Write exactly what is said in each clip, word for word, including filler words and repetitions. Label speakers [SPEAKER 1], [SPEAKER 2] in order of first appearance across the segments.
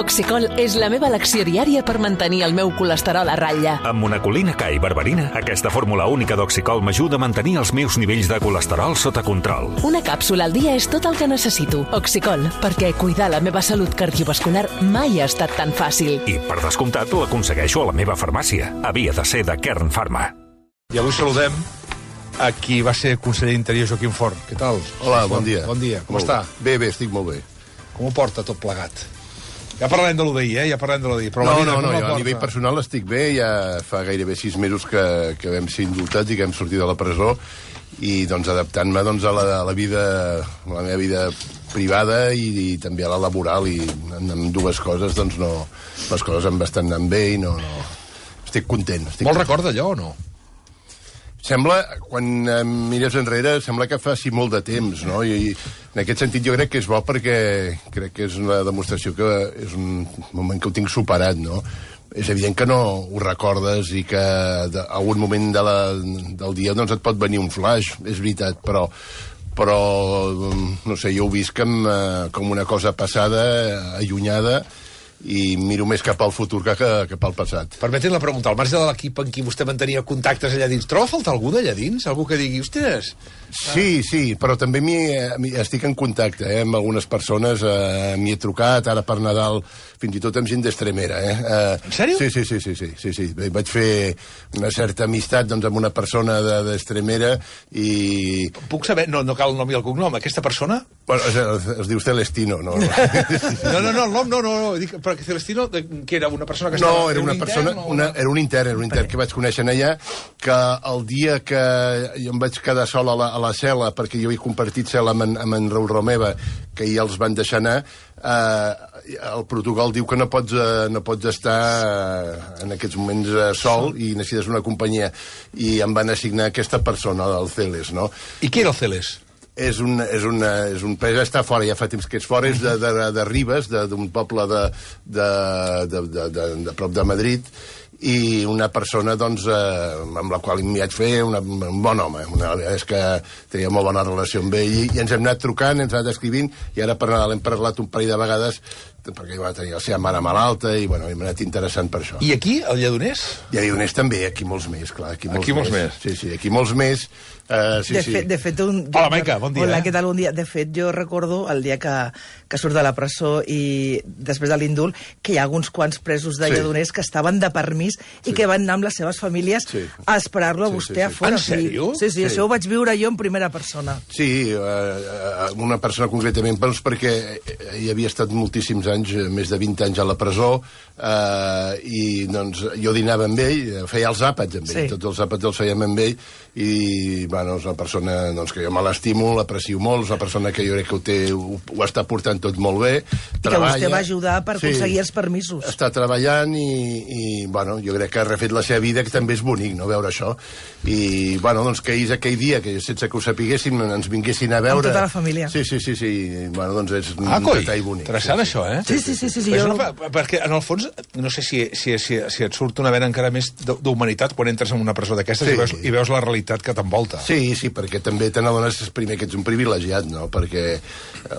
[SPEAKER 1] Oxicol és la meva elecció diària per mantenir el meu colesterol a ratlla.
[SPEAKER 2] Amb monacolina K i berberina, aquesta fórmula única d'Oxicol m'ajuda a mantenir els meus nivells de colesterol sota control.
[SPEAKER 1] Una càpsula al dia és tot el que necessito. Oxicol, perquè cuidar la meva salut cardiovascular mai ha estat tan fàcil.
[SPEAKER 2] I, per descomptat, l'aconsegueixo a la meva farmàcia. Havia de ser de Kern Pharma.
[SPEAKER 3] I avui saludem a qui va ser conseller d'Interior, Joaquim Forn. Què tal?
[SPEAKER 4] Hola, bon dia.
[SPEAKER 3] Bon dia, com
[SPEAKER 4] molt
[SPEAKER 3] està?
[SPEAKER 4] Bé, bé, estic molt bé.
[SPEAKER 3] Com ho porta tot plegat? Ja parlarem de l'U D I, eh? Ja parlarem de l'U D I. Però
[SPEAKER 4] no,
[SPEAKER 3] la vida,
[SPEAKER 4] no, no,
[SPEAKER 3] no,
[SPEAKER 4] jo a nivell personal estic bé, ja fa gairebé sis mesos que, que vam ser indultats i que hem sortit de la presó, i doncs adaptant-me doncs, a, la, a la vida, a la meva vida privada i, i també a la laboral, i en, en dues coses doncs no, les coses em estan anant bé i no, no estic content. Estic
[SPEAKER 3] Vol
[SPEAKER 4] content.
[SPEAKER 3] recorda allò o no?
[SPEAKER 4] Sembla, quan eh, mires enrere, sembla que faci molt de temps, no? I, I en aquest sentit jo crec que és bo perquè crec que és una demostració que és un moment que ho tinc superat, no? És evident que no ho recordes i que de, a algun moment de la, del dia doncs et pot venir un flash, és veritat, però però, no sé, jo ho visc com, eh, com una cosa passada, allunyada, i miro més cap al futur que, que cap al passat.
[SPEAKER 3] Permetin la pregunta, al marge de l'equip en qui vostè mantenia contactes allà dins, troba a faltar algú d'allà dins? Algú que digui, ostres...
[SPEAKER 4] Sí, sí, però també m'hi, m'hi estic en contacte eh, amb algunes persones, eh, m'hi he trucat, ara per Nadal, fins i tot amb gent d'Estremera. Eh. Eh,
[SPEAKER 3] en sèrio?
[SPEAKER 4] Sí, sí, sí, sí, sí, sí, sí. Vaig fer una certa amistat doncs, amb una persona d'Estremera i...
[SPEAKER 3] Puc saber, no, no cal el nom i el cognom, aquesta persona?
[SPEAKER 4] Bueno, es, es, es diu Celestino, no?
[SPEAKER 3] No, no, no, el nom no, no, no, dic, però que Celestino, que era una persona que estava...
[SPEAKER 4] No, era una
[SPEAKER 3] un
[SPEAKER 4] persona,
[SPEAKER 3] intern,
[SPEAKER 4] una,
[SPEAKER 3] una...
[SPEAKER 4] era un intern, era un intern que vaig conèixer allà, que el dia que jo em vaig quedar sol a la, a la cel·la, perquè jo he compartit cel·la amb en, amb en Raül Romeva, que ja els van deixar anar, eh, el protocol diu que no pots, eh, no pots estar eh, en aquests moments eh, sol i necessites una companyia, i em van assignar aquesta persona, el Celes, no?
[SPEAKER 3] I qui era el Celes?
[SPEAKER 4] És un, és, una, és un país, està fora, ja fa temps que és fora, és de, de, de Ribes, d'un poble de, de, de, de, de, de prop de Madrid, i una persona doncs, eh, amb la qual m'hi vaig fer una, un bon home. Una, és que tenia molt bona relació amb ell, i, i ens hem anat trucant, ens hem anat escrivint, i ara per Nadal hem parlat un parell de vegades, perquè va tenir la seva mare malalta, i bueno, hem anat interessant per això.
[SPEAKER 3] I aquí, al Lledoners?
[SPEAKER 4] I a Lledoners també, aquí molts més, clar. Aquí molts,
[SPEAKER 3] aquí molts més.
[SPEAKER 4] més. Sí, sí, aquí molts més. Uh, sí,
[SPEAKER 5] de,
[SPEAKER 4] sí.
[SPEAKER 5] fet, de fet, un...
[SPEAKER 3] Hola, Maica, bon dia.
[SPEAKER 5] Hola,
[SPEAKER 3] eh?
[SPEAKER 5] què tal, bon dia. De fet, jo recordo el dia que, que surt de la presó i després de l'indult, que hi ha alguns quants presos de
[SPEAKER 4] Sí.
[SPEAKER 5] Lledoners que estaven de permís i
[SPEAKER 4] Sí.
[SPEAKER 5] que van anar amb les seves famílies
[SPEAKER 4] Sí.
[SPEAKER 5] a esperar-lo a
[SPEAKER 4] Sí,
[SPEAKER 5] vostè
[SPEAKER 4] sí, sí.
[SPEAKER 5] a fora.
[SPEAKER 3] En sèrio?
[SPEAKER 5] Sí, sí, sí,
[SPEAKER 4] Sí.
[SPEAKER 5] això ho vaig viure jo en primera persona.
[SPEAKER 4] Sí, eh, una persona concretament, doncs perquè hi havia estat moltíssims anys, més de vint anys a la presó, eh, i doncs jo dinava amb ell, feia els àpats amb ell,
[SPEAKER 5] Sí.
[SPEAKER 4] tots els àpats els fèiem amb ell, i bueno, és una persona doncs, que jo me l'estimo, l'aprecio molt, és una persona que jo crec que ho, té, ho, ho està portant tot molt bé,
[SPEAKER 5] I que vostè va ajudar per aconseguir els permisos.
[SPEAKER 4] Està treballant i, i bueno, jo crec que ha refet la seva vida, que també és bonic, no?, veure això. I, bueno, doncs que és aquell dia, que sense que ho sapiguéssim, ens vinguessin a veure...
[SPEAKER 5] Amb tota la família.
[SPEAKER 4] Sí, sí, sí, sí. Bueno, doncs és
[SPEAKER 3] Ah,
[SPEAKER 4] un
[SPEAKER 3] coi,
[SPEAKER 4] detall bonic.
[SPEAKER 3] interessant
[SPEAKER 4] sí,
[SPEAKER 3] això, eh?
[SPEAKER 5] Sí, sí, sí, sí, sí,
[SPEAKER 3] És
[SPEAKER 5] jo-
[SPEAKER 3] una, perquè, en el fons, no sé si, si, si, si et surt una vena encara més d'humanitat quan entres en una presó d'aquestes
[SPEAKER 4] Sí.
[SPEAKER 3] i, veus, i veus la realitat que t'envolta.
[SPEAKER 4] Sí, sí, perquè també te n'adones primer que ets un privilegiat, no? Perquè eh,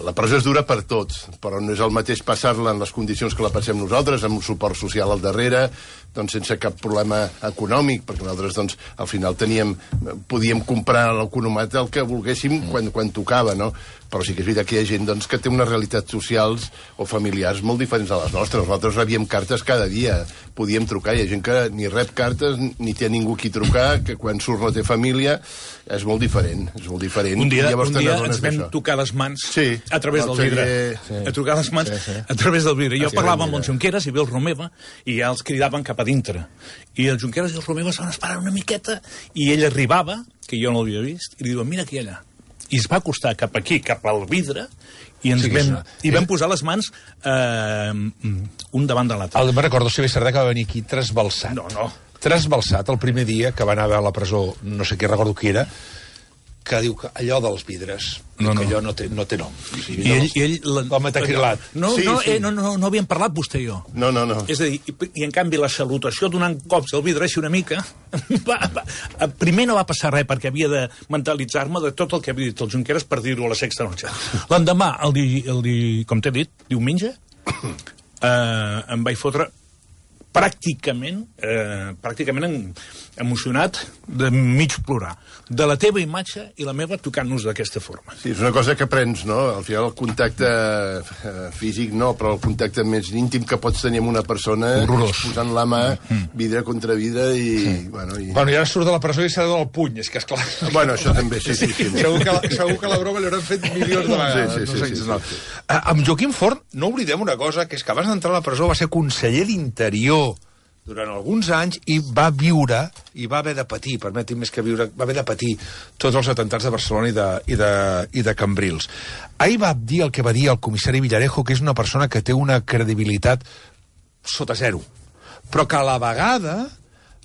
[SPEAKER 4] la presó és dura per tots, però no és el mateix passar-la en les condicions que la passem nosaltres, amb un suport social al darrere, doncs sense cap problema econòmic, perquè nosaltres doncs, al final teníem, podíem comprar a l'economat el que volguéssim quan, quan tocava, no? Però sí que és veritat que hi ha gent doncs, que té unes realitats socials o familiars molt diferents a les nostres. Nosaltres rebíem cartes cada dia, podíem trucar, hi ha gent que ni rep cartes ni té ningú qui trucar, que quan surt no té família, és molt diferent, és molt diferent.
[SPEAKER 6] Un dia,
[SPEAKER 4] I llavors
[SPEAKER 6] un dia
[SPEAKER 4] te n'adones
[SPEAKER 6] ens vam
[SPEAKER 4] d'això.
[SPEAKER 6] tocar les mans
[SPEAKER 4] Sí,
[SPEAKER 6] a través
[SPEAKER 4] el
[SPEAKER 6] del vidre.
[SPEAKER 4] sí.
[SPEAKER 6] A tocar les mans
[SPEAKER 4] Sí, sí.
[SPEAKER 6] a través del vidre. Jo
[SPEAKER 4] Sí,
[SPEAKER 6] parlava amb
[SPEAKER 4] mira.
[SPEAKER 6] el Junqueras i ve el Romeva i ja els cridaven cap a dintre. I el Junqueras i el Romeva s'han esperat una miqueta i ell arribava, que jo no l'havia vist, i li diuen, mira aquí allà. I es va acostar cap aquí, cap al vidre, i ens
[SPEAKER 3] Sí,
[SPEAKER 6] sí, vam,
[SPEAKER 3] és-
[SPEAKER 6] i vam posar les mans eh, un davant de l'altre.
[SPEAKER 3] El, me'n recordo, el Xavier Sardà, que va venir aquí trasbalsat.
[SPEAKER 6] No, no.
[SPEAKER 3] Trasbalsat el primer dia que va anar a la presó, no sé què recordo qui era, que diu que allò dels vidres,
[SPEAKER 6] No,
[SPEAKER 3] que
[SPEAKER 6] no.
[SPEAKER 3] allò no té, no té nom. O sigui,
[SPEAKER 6] I ell...
[SPEAKER 3] dels-
[SPEAKER 6] I ell la-
[SPEAKER 3] el metacrilat.
[SPEAKER 6] No,
[SPEAKER 4] Sí,
[SPEAKER 6] no,
[SPEAKER 4] sí.
[SPEAKER 6] Eh, no, no, no havíem parlat vostè i jo.
[SPEAKER 4] No, no, no.
[SPEAKER 6] És a dir, i, i en canvi la salutació donant cops al vidre així una mica, va, va, primer no va passar res perquè havia de mentalitzar-me de tot el que havia dit el Junqueras per dir-ho a la sexta noche. L'endemà, el, di, el di, com t'he dit, diumenge, eh, em vaig fotre pràcticament, eh, pràcticament en, emocionat de mig plorar. De la teva imatge i la meva tocant-nos d'aquesta forma.
[SPEAKER 4] Sí, és una cosa que aprens, no? Al final el contacte eh, físic no, però el contacte més íntim que pots tenir amb una persona
[SPEAKER 3] horrorós,
[SPEAKER 4] posant la mà mm. vidre contra vidre i... Mm. Bueno, i...
[SPEAKER 3] bueno, i ara surt de la presó i s'ha de donar el puny, és que esclar...
[SPEAKER 4] Bueno, això també, sí, sí. sí, sí.
[SPEAKER 3] Segur, que la, segur que la broma l'hauran fet milions de vegades.
[SPEAKER 4] Sí, sí, sí,
[SPEAKER 3] no sé,
[SPEAKER 4] sí, sí,
[SPEAKER 3] no.
[SPEAKER 4] sí, sí.
[SPEAKER 3] Uh, amb Joaquim Forn no oblidem una cosa, que és que abans d'entrar a la presó va ser conseller d'Interior durant alguns anys i va viure i va haver de patir, permeti'm més que viure, va haver de patir tots els atentats de Barcelona i de, i de, i de Cambrils. Ahir va dir el que va dir el comissari Villarejo, que és una persona que té una credibilitat sota zero, però que a la vegada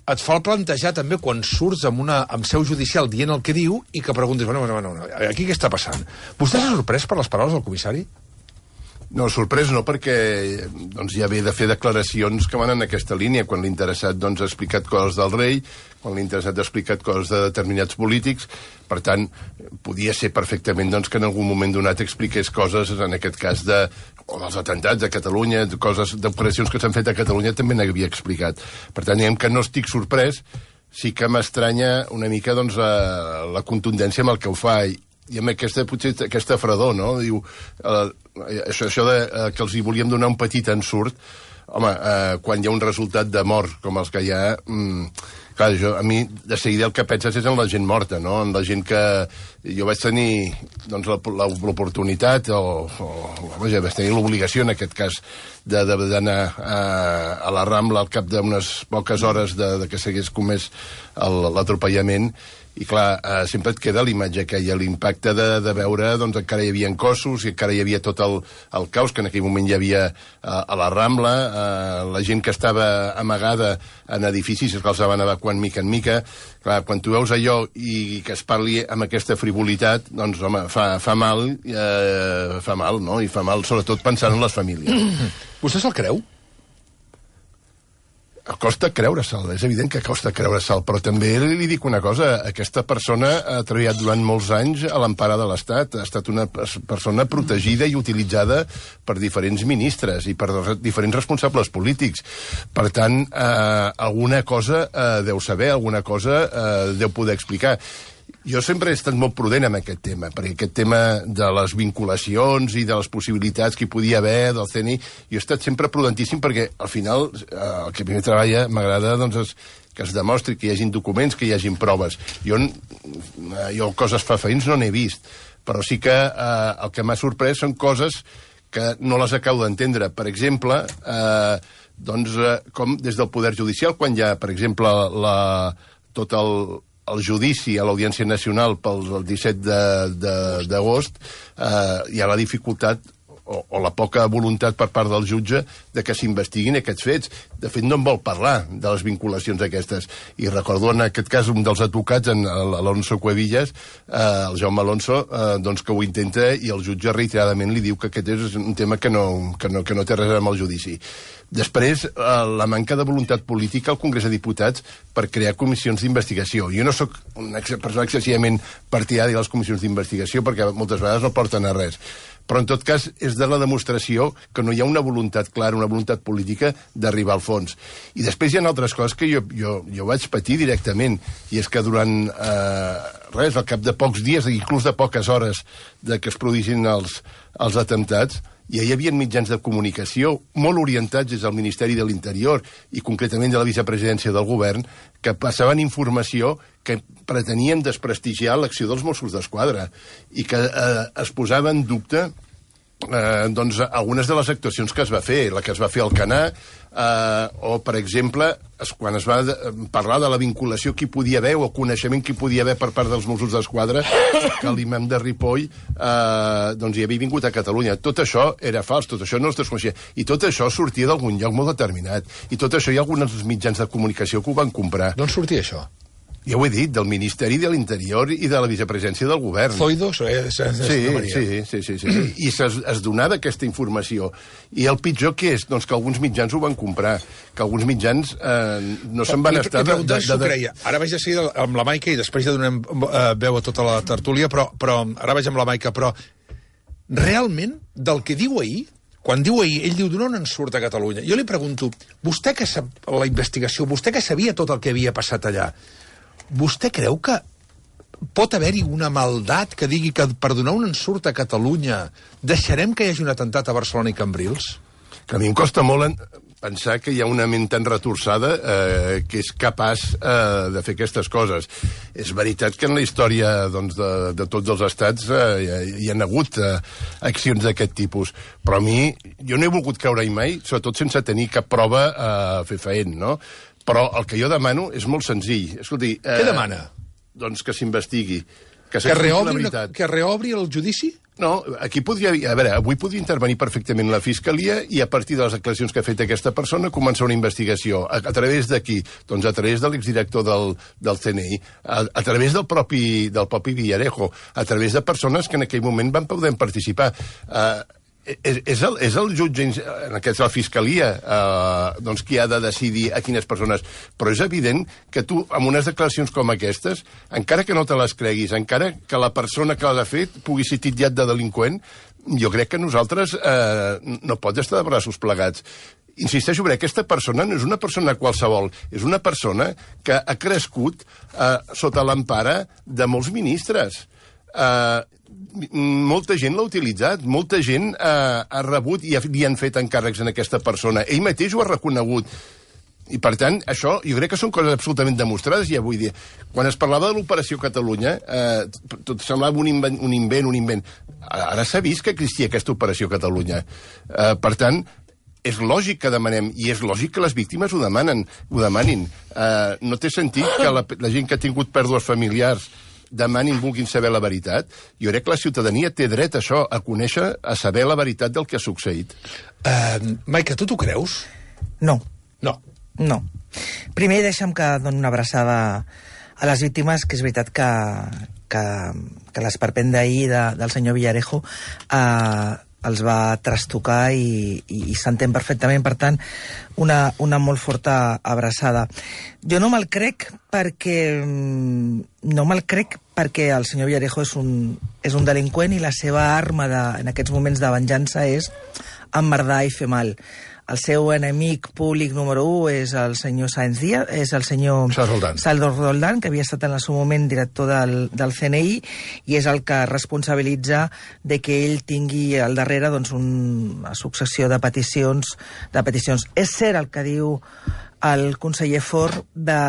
[SPEAKER 3] et fa el plantejar també quan surts amb, una, amb seu judicial dient el que diu i que preguntes, bueno, bueno, bueno, aquí què està passant? Vostè s'ha sorprès per les paraules del comissari?
[SPEAKER 4] No, sorprès no, perquè doncs, ja ve de fer declaracions que van en aquesta línia, quan l'interessat doncs, ha explicat coses del rei, quan l'interessat ha explicat coses de determinats polítics. Per tant, podia ser perfectament doncs, que en algun moment donat expliqués coses, en aquest cas, de, o dels atentats a Catalunya, coses d'operacions que s'han fet a Catalunya, també n'havia explicat. Per tant, diguem que no estic sorprès, sí que m'estranya una mica doncs, la, la contundència amb el que ho fa, i amb aquesta, potser, aquesta fredor, no? Diu, eh, això, això de eh, que els hi volíem donar un petit ensurt, home, eh, quan hi ha un resultat de mort com els que hi ha, mm, clar, jo, a mi de seguida el que penses és en la gent morta, no? En la gent que jo vaig tenir doncs, l'oportunitat o, o vaja, vaig tenir l'obligació en aquest cas d'anar a, a la Rambla al cap d'unes poques hores de, de que s'hagués comès l'atropellament. I clar, eh, sempre et queda l'imatge aquella, l'impacte de, de veure, doncs encara hi havia cossos i encara hi havia tot el, el caos que en aquell moment hi havia eh, a la Rambla, eh, la gent que estava amagada en edificis que els van evacuant mica en mica. Clar, quan tu veus allò i que es parli amb aquesta frivolitat, doncs, home, fa, fa mal, eh, fa mal, no? I fa mal, sobretot, pensant en les famílies.
[SPEAKER 3] Vostè se'l creu?
[SPEAKER 4] Costa creure-se'l, és evident que costa creure-se'l, però també li dic una cosa, aquesta persona ha treballat durant molts anys a l'empara de l'Estat, ha estat una persona protegida i utilitzada per diferents ministres i per diferents responsables polítics. Per tant, eh, alguna cosa eh, deu saber, alguna cosa eh, deu poder explicar. Jo sempre he estat molt prudent amb aquest tema, perquè aquest tema de les vinculacions i de les possibilitats que hi podia haver del C N I, jo he estat sempre prudentíssim perquè, al final, eh, el que primer treballa m'agrada doncs, és que es demostri que hi hagin documents, que hi hagin proves. Jo, eh, jo coses fefaïns no n'he vist, però sí que eh, el que m'ha sorprès són coses que no les acabo d'entendre. Per exemple, eh, doncs, eh, com des del Poder Judicial, quan hi ha, per exemple, la, tot el... el judici a l'Audiència Nacional pel disset d'agost, eh, hi ha la dificultat o, o la poca voluntat per part del jutge de que s'investiguin aquests fets. De fet, no en vol parlar de les vinculacions aquestes. I recordo en aquest cas un dels advocats, en l'Alonso Cuevillas, eh, el Jaume Alonso, eh, doncs que ho intenta i el jutge reiteradament li diu que aquest és un tema que no, que no, que no té res amb el judici. Després, eh, la manca de voluntat política al Congrés de Diputats per crear comissions d'investigació. Jo no sóc una persona excessivament partidària de les comissions d'investigació perquè moltes vegades no porten a res. Però, en tot cas, és de la demostració que no hi ha una voluntat clara, una voluntat política d'arribar al fons. I després hi ha altres coses que jo, jo, jo vaig patir directament, i és que durant, eh, res, al cap de pocs dies, inclús de poques hores de que es produïssin els, els atemptats, ja hi havia mitjans de comunicació molt orientats des del Ministeri de l'Interior i concretament de la vicepresidència del govern que passaven informació que pretenien desprestigiar l'acció dels Mossos d'Esquadra i que eh, es posava en dubte eh, doncs, algunes de les actuacions que es va fer, la que es va fer al Canà, eh, o, per exemple, es, quan es va de, parlar de la vinculació que hi podia haver o coneixement que hi podia haver per part dels Mossos d'Esquadra, que l'imam de Ripoll eh, doncs hi havia vingut a Catalunya. Tot això era fals, tot això no es desconeixia. I tot això sortia d'algun lloc molt determinat. I tot això hi ha alguns mitjans de comunicació que ho van comprar.
[SPEAKER 3] D'on sortia això?
[SPEAKER 4] Ja ho he dit, del Ministeri de l'Interior i de la vicepresidència del govern.
[SPEAKER 3] Zoido? Eh,
[SPEAKER 4] sí, sí, sí, sí, sí. I es, es donava aquesta informació. I el pitjor què és? Doncs que alguns mitjans ho van comprar, que alguns mitjans eh, no se'n van estar...
[SPEAKER 3] Li preguntes si ho creia. Ara vaig a seguir amb la Maica i després ja donem eh, veu a tota la tertúlia, però, però ara vaig amb la Maica, però realment, del que diu ahir, quan diu ahir, ell diu, d'on en surt a Catalunya? Jo li pregunto, vostè que sap la investigació, vostè que sabia tot el que havia passat allà, vostè creu que pot haver-hi una maldat que digui que per donar un ensurt a Catalunya deixarem que hi hagi un atemptat a Barcelona i Cambrils?
[SPEAKER 4] Que a mi em costa molt en pensar que hi ha una ment tan retorçada eh, que és capaç eh, de fer aquestes coses. És veritat que en la història doncs, de, de tots els estats eh, hi ha hagut eh, accions d'aquest tipus, però a mi, jo no he volgut caure-hi mai, sobretot sense tenir cap prova eh, fefaent, no? Però el que jo demano és molt senzill. Escolti, eh,
[SPEAKER 3] Què demana?
[SPEAKER 4] Doncs que s'investigui. Que,
[SPEAKER 3] Que reobri,
[SPEAKER 4] la
[SPEAKER 3] una,
[SPEAKER 4] veritat.
[SPEAKER 3] que reobri el judici?
[SPEAKER 4] No, aquí podria... A veure, avui podria intervenir perfectament la Fiscalia i a partir de les declaracions que ha fet aquesta persona començar una investigació. A, a través de qui? Doncs a través de l'exdirector del, del C N I, a, a través del propi, del propi Villarejo, a través de persones que en aquell moment van poder participar. Uh, és, és, el, és el jutge, en aquest la Fiscalia, eh, doncs qui ha de decidir a quines persones... Però és evident que tu, amb unes declaracions com aquestes, encara que no te les creguis, encara que la persona que les ha fet pugui ser titllat de delinqüent, jo crec que nosaltres eh, no pot estar de braços plegats. Insisteixo, perquè aquesta persona no és una persona qualsevol, és una persona que ha crescut eh, sota l'empara de molts ministres. Eh, molta gent l'ha utilitzat, molta gent eh, ha rebut i ha, li han fet encàrrecs en aquesta persona. Ell mateix ho ha reconegut. I, per tant, això jo crec que són coses absolutament demostrades ja avui dia. Quan es parlava de l'Operació Catalunya, eh, tot semblava un invent, un invent, un invent. Ara s'ha vist que existia aquesta Operació Catalunya. Eh, per tant, és lògic que demanem, i és lògic que les víctimes ho demanen, ho demanin. Eh, no té sentit que la, la gent que ha tingut pèrdues familiars demanin, vulguin saber la veritat. Jo crec que la ciutadania té dret a això, a conèixer, a saber la veritat del que ha succeït.
[SPEAKER 3] Uh, Maica, tu t'ho creus?
[SPEAKER 5] No.
[SPEAKER 3] No.
[SPEAKER 5] No. Primer deixa'm que doni una abraçada a les víctimes, que és veritat que, que, que l'esperpent d'ahir de, del senyor Villarejo eh, els va trastocar i, i, i s'entén perfectament. Per tant, una, una molt forta abraçada. Jo no me'l crec perquè... No me'l crec perquè el senyor Villarejo és un, és un delinqüent i la seva arma de, en aquests moments de venjança és emmerdar i fer mal. El seu enemic públic número u és el senyor Sáenz Díaz, és el senyor Salvador Roldán, que havia estat en el seu moment director del, del C N I, i és el que responsabilitza de que ell tingui al darrere doncs, una successió de peticions, de peticions. És cert el que diu el conseller Forn de,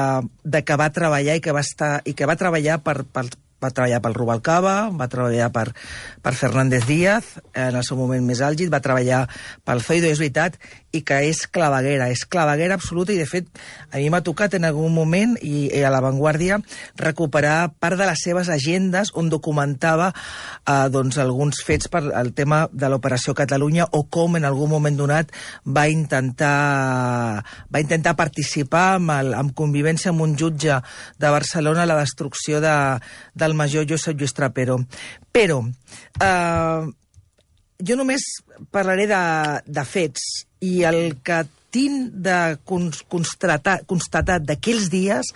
[SPEAKER 5] de que va treballar i que va, estar, i que va treballar per, per va treballar pel Rubalcaba, va treballar per, per Fernández Díaz, en el seu moment més àlgid, va treballar pel Zoido, és veritat, i que és claveguera, és claveguera absoluta, i de fet a mi m'ha tocat en algun moment, i, i a l'avantguàrdia, recuperar part de les seves agendes on documentava eh, doncs, alguns fets per el tema de l'Operació Catalunya, o com en algun moment donat va intentar, va intentar participar amb, el, amb convivència amb un jutge de Barcelona a la destrucció de, de el major Josep Lluís Trapero. Però eh, jo només parlaré de, de fets, i el que tinc de constatar, constatat d'aquells dies,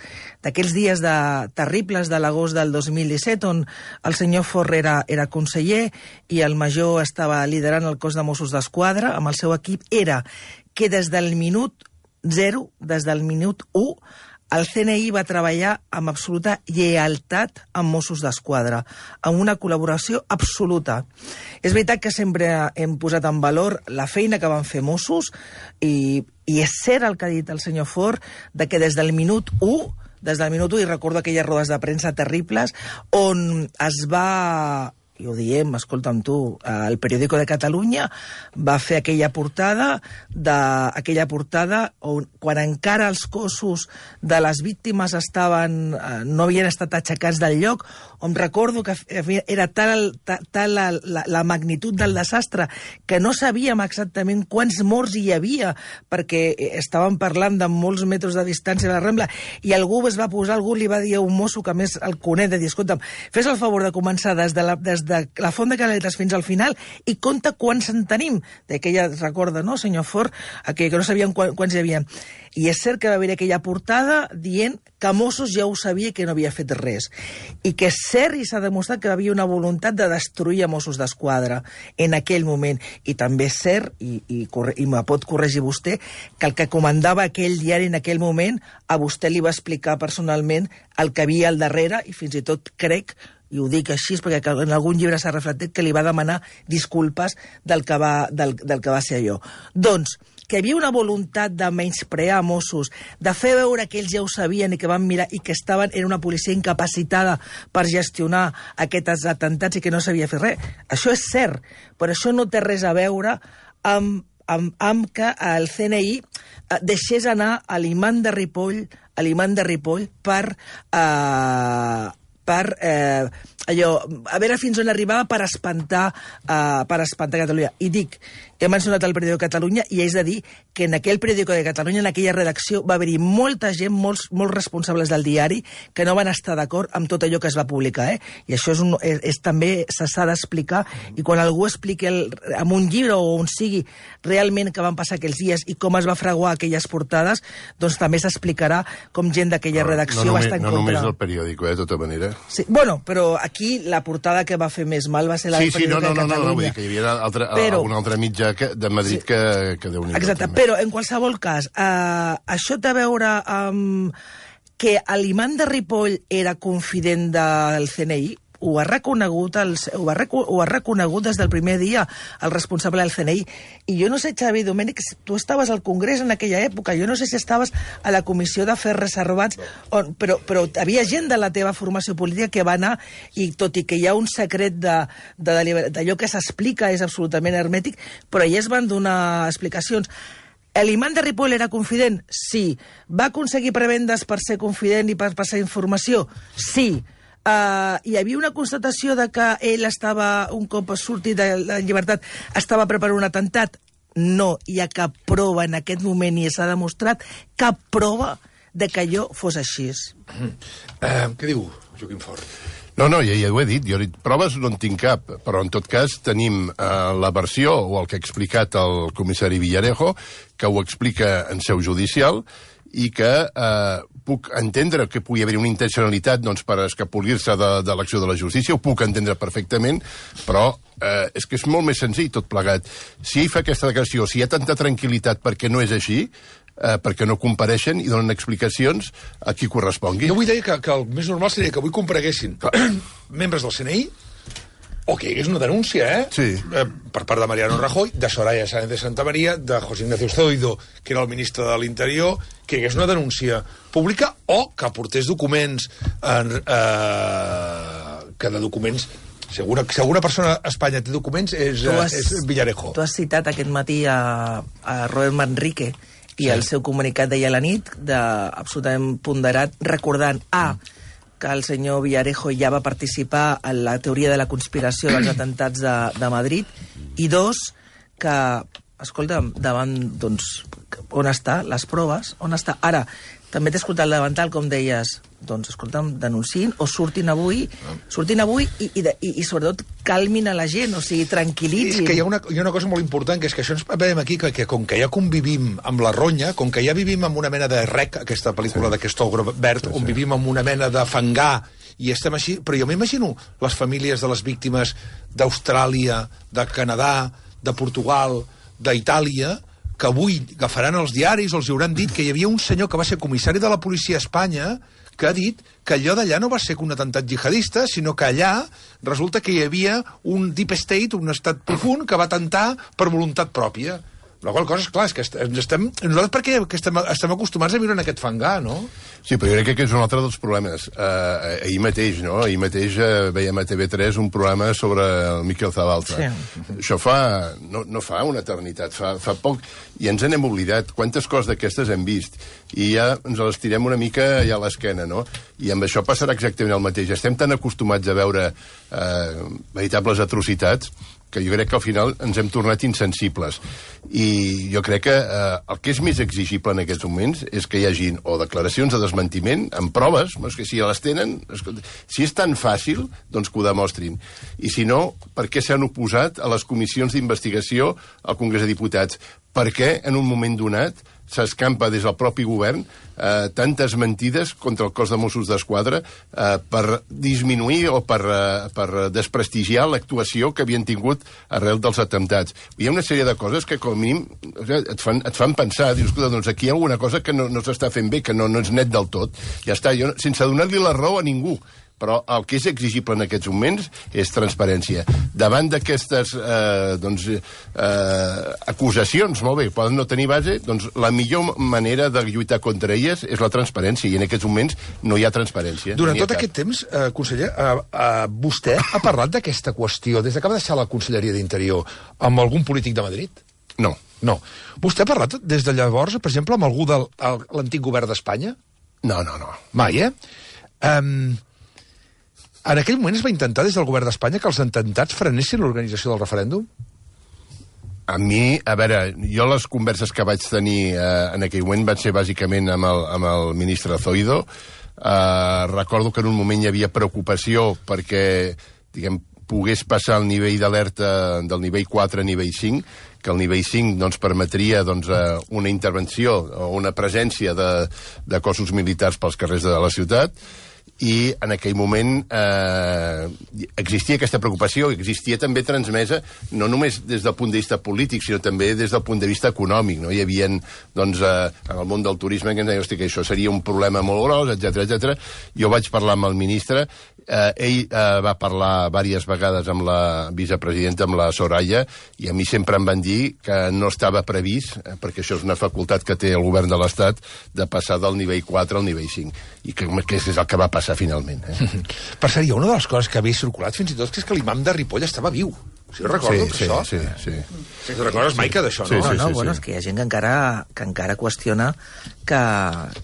[SPEAKER 5] d'aquells dies de, terribles de l'agost del dos mil disset, on el senyor Forn era, era conseller i el major estava liderant el cos de Mossos d'Esquadra amb el seu equip, era que des del minut zero, des del minut u, el C N I va treballar amb absoluta lleialtat amb Mossos d'Esquadra, amb una col·laboració absoluta. És veritat que sempre hem posat en valor la feina que van fer Mossos, i, i és cert el que ha dit el senyor Forn, de que des del minut u, des del minut u, i recordo aquelles rodes de premsa terribles, on es va... i ho diem, escolta'm tu, el Periódico de Catalunya va fer aquella portada, de, aquella portada on, quan encara els cossos de les víctimes estaven, no havien estat aixecats del lloc, on recordo que era tal, tal, tal la, la, la magnitud del desastre que no sabíem exactament quants morts hi havia, perquè estàvem parlant de molts metres de distància de la Rambla, i algú es va posar, algú li va dir a un mosso que més el coneix, de dir, escolta'm, fes el favor de començar des de la, des de de la font de Canaletes fins al final i compta quants en tenim. D'aquella, recorda, no, senyor Fort, aquell que no sabien quants hi havia. I és cert que va haver aquella portada dient que Mossos ja ho sabia que no havia fet res. I que és cert i s'ha demostrat que hi havia una voluntat de destruir a Mossos d'Esquadra en aquell moment. I també és cert, i, i, i me pot corregir vostè, que el que comandava aquell diari en aquell moment a vostè li va explicar personalment el que havia al darrere i fins i tot crec, i ho dic així perquè en algun llibre s'ha reflectit, que li va demanar disculpes del que va, del, del que va ser allò. Doncs, que hi havia una voluntat de menysprear a Mossos, de fer veure que ells ja ho sabien i que van mirar i que estaven en una policia incapacitada per gestionar aquests atentats i que no sabia fer res. Això és cert, però això no té res a veure amb, amb, amb que el C N I deixés anar a l'imant de Ripoll, a l'imant de Ripoll per... Eh, per eh, allò, a veure fins on arribava per espantar, eh, per espantar Catalunya. I dic, he mencionat el periòdico de Catalunya i és de dir que en aquell periòdico de Catalunya, en aquella redacció, va haver-hi molta gent, molts, molts responsables del diari, que no van estar d'acord amb tot allò que es va publicar, eh? I això és, un, és, és també s'ha d'explicar, i quan algú expliqui el, en un llibre o on sigui realment què van passar aquells dies i com es va fraguar aquelles portades, doncs també s'explicarà com gent d'aquella redacció
[SPEAKER 4] no, no
[SPEAKER 5] va estar en
[SPEAKER 4] no
[SPEAKER 5] contra.
[SPEAKER 4] No només el periòdico, eh, de tota manera.
[SPEAKER 5] Sí, bueno, però aquí la portada que va fer més mal va ser la
[SPEAKER 4] sí,
[SPEAKER 5] del
[SPEAKER 4] sí,
[SPEAKER 5] periòdico
[SPEAKER 4] no, no,
[SPEAKER 5] de Catalunya.
[SPEAKER 4] No, no, vull dir que hi havia altre,
[SPEAKER 5] però,
[SPEAKER 4] algun altre mitjà que, de Madrid sí, que, que Déu-n'hi-do.
[SPEAKER 5] Exacte, també. Però en qualsevol cas, eh, això té a veure amb que l'imant de Ripoll era confident del C N I, ho ha reconegut, el, ho, ha, ho ha reconegut des del primer dia el responsable del C N I. I jo no sé, Xavi Domènech, tu estaves al Congrés en aquella època, jo no sé si estaves a la Comissió d'Afers Reservats, on, però, però havia gent de la teva formació política que va anar, i tot i que hi ha un secret d'allò que s'explica és absolutament hermètic, però ja es van donar explicacions. L'imant de Ripoll era confident? Sí. Va aconseguir prebendes per ser confident i per passar informació? Sí. Uh, hi havia una constatació de que ell estava, un cop sortit de la llibertat, estava preparant un atemptat? No hi ha cap prova en aquest moment i s'ha demostrat cap prova de que allò fos així.
[SPEAKER 3] Mm. Uh, què diu Joaquim Fort?
[SPEAKER 4] No, no, ja, ja ho he dit. Jo he dit, proves no en tinc cap, però en tot cas tenim eh, la versió o el que ha explicat el comissari Villarejo, que ho explica en seu judicial, i que eh, puc entendre que pugui haver una intencionalitat doncs, per escapolir-se de, de l'acció de la justícia, ho puc entendre perfectament, però eh, és que és molt més senzill tot plegat. Si ell fa aquesta declaració, si hi ha tanta tranquil·litat perquè no és així, eh, perquè no compareixen i donen explicacions a qui correspongui.
[SPEAKER 3] Jo vull dir que, que el més normal seria que avui compareguessin membres del C N I, o que hi hagués una denúncia, eh?
[SPEAKER 4] Sí.
[SPEAKER 3] eh? Per part de Mariano Rajoy, de Soraya Sáenz de Santa María, de José Ignacio Zoido, que era el ministre de l'Interior, que hi hagués una denúncia pública o que aportés documents en, eh, que de documents segura, si alguna persona a Espanya té documents és, has, és Villarejo.
[SPEAKER 5] Tu has citat aquest matí a, a Robert Manrique i
[SPEAKER 3] sí.
[SPEAKER 5] El seu comunicat d'ahir a la nit, de, absolutament ponderat, recordant A, que el senyor Villarejo ja va participar en la teoria de la conspiració dels atentats de, de Madrid, i dos, que, escolta, davant, doncs, on està les proves? On està? Ara, també t'he escoltat el davantal, com deies, doncs, escolta'm, denunciïn o surtin avui, surtin avui i, i, i, i sobretot calmin a la gent, o sigui, tranquil·litzin.
[SPEAKER 3] És que hi ha, una, hi ha una cosa molt important, que és que això ens veiem aquí, que, que com que ja convivim amb la ronya, com que ja vivim amb una mena de rec, aquesta pel·lícula sí. d'aquest ogre verd, sí, sí. on vivim amb una mena de fangar, i estem així, però jo m'imagino les famílies de les víctimes d'Austràlia, de Canadà, de Portugal, d'Itàlia, que avui agafaran els diaris o els hauran dit que hi havia un senyor que va ser comissari de la policia a Espanya que ha dit que allò d'allà no va ser un atemptat jihadista, sinó que allà resulta que hi havia un deep state, un estat profund, que va atemptar per voluntat pròpia. La qual cosa, és clar, és que estem... Nosaltres perquè estem, estem acostumats a viure en aquest fangar, no?
[SPEAKER 4] Sí, però jo crec que és un altre dels problemes. Uh, ahir mateix, no? Ahir mateix uh, veiem a T V tres un programa sobre el Miquel Zabalza. Sí. Això fa... No, no fa una eternitat, fa, fa poc... I ens n'hem oblidat. Quantes coses d'aquestes hem vist? I ja ens les tirem una mica ja a l'esquena, no? I amb això passarà exactament el mateix. Estem tan acostumats a veure uh, veritables atrocitats que jo crec que al final ens hem tornat insensibles. I jo crec que eh, el que és més exigible en aquests moments és que hi hagin o declaracions de desmentiment amb proves, és que si les tenen, si és tan fàcil, doncs que ho demostrin. I si no, per què s'han oposat a les comissions d'investigació al Congrés de Diputats? Per què en un moment donat s'escampa des del propi govern eh, tantes mentides contra el cos de Mossos d'Esquadra eh, per disminuir o per, eh, per desprestigiar l'actuació que havien tingut arrel dels atemptats. Hi ha una sèrie de coses que, com a mínim, et fan, et fan pensar, dius, escolta, doncs aquí hi ha alguna cosa que no, no s'està fent bé, que no, no és net del tot. Ja està, jo, sense donar-li la raó a ningú. Però el que és exigible en aquests moments és transparència. Davant d'aquestes eh, doncs, eh, acusacions, molt bé, poden no tenir base, doncs la millor manera de lluitar contra elles és la transparència, i en aquests moments no hi ha transparència.
[SPEAKER 3] Durant
[SPEAKER 4] ha
[SPEAKER 3] tot aquest temps, eh, conseller, eh, eh, vostè ha parlat d'aquesta qüestió des de que va deixar la Conselleria d'Interior amb algun polític de Madrid?
[SPEAKER 4] No.
[SPEAKER 3] No. Vostè ha parlat des de llavors, per exemple, amb algú de l'antic govern d'Espanya?
[SPEAKER 4] No, no, no.
[SPEAKER 3] Mai, eh? Um, en aquell moment es va intentar des del govern d'Espanya que els atemptats frenessin l'organització del referèndum?
[SPEAKER 4] A mi, a veure, jo les converses que vaig tenir eh, en aquell moment van ser bàsicament amb el, amb el ministre Zoido. Eh, recordo que en un moment hi havia preocupació perquè, diguem, pogués passar el nivell d'alerta del nivell quatre a nivell cinc, que el nivell cinc doncs, permetria doncs, una intervenció o una presència de, de cossos militars pels carrers de la ciutat, i en aquell moment eh, existia aquesta preocupació, existia també transmesa no només des del punt de vista polític, sinó també des del punt de vista econòmic. No? Hi havia, doncs, eh, en el món del turisme que ens deia, hosti, que això seria un problema molt gros, etcètera, etcètera. Jo vaig parlar amb el ministre, eh, ell eh, va parlar diverses vegades amb la vicepresidenta, amb la Soraya, i a mi sempre em van dir que no estava previst, eh, perquè això és una facultat que té el govern de l'Estat, de passar del nivell quatre al nivell cinc, i que, que és el que va passar finalment. Eh?
[SPEAKER 3] Per cert, hi ha una de les coses que havia circulat fins i tot, que és que l'imam de Ripoll estava viu. Si recordo,
[SPEAKER 4] sí, sí,
[SPEAKER 3] això.
[SPEAKER 4] Sí, sí, sí.
[SPEAKER 3] Si recordes, Maica, d'això,
[SPEAKER 4] Sí,
[SPEAKER 3] no?
[SPEAKER 4] sí,
[SPEAKER 5] no,
[SPEAKER 4] sí,
[SPEAKER 5] bueno,
[SPEAKER 4] sí.
[SPEAKER 5] és que hi ha gent que encara, que encara qüestiona que,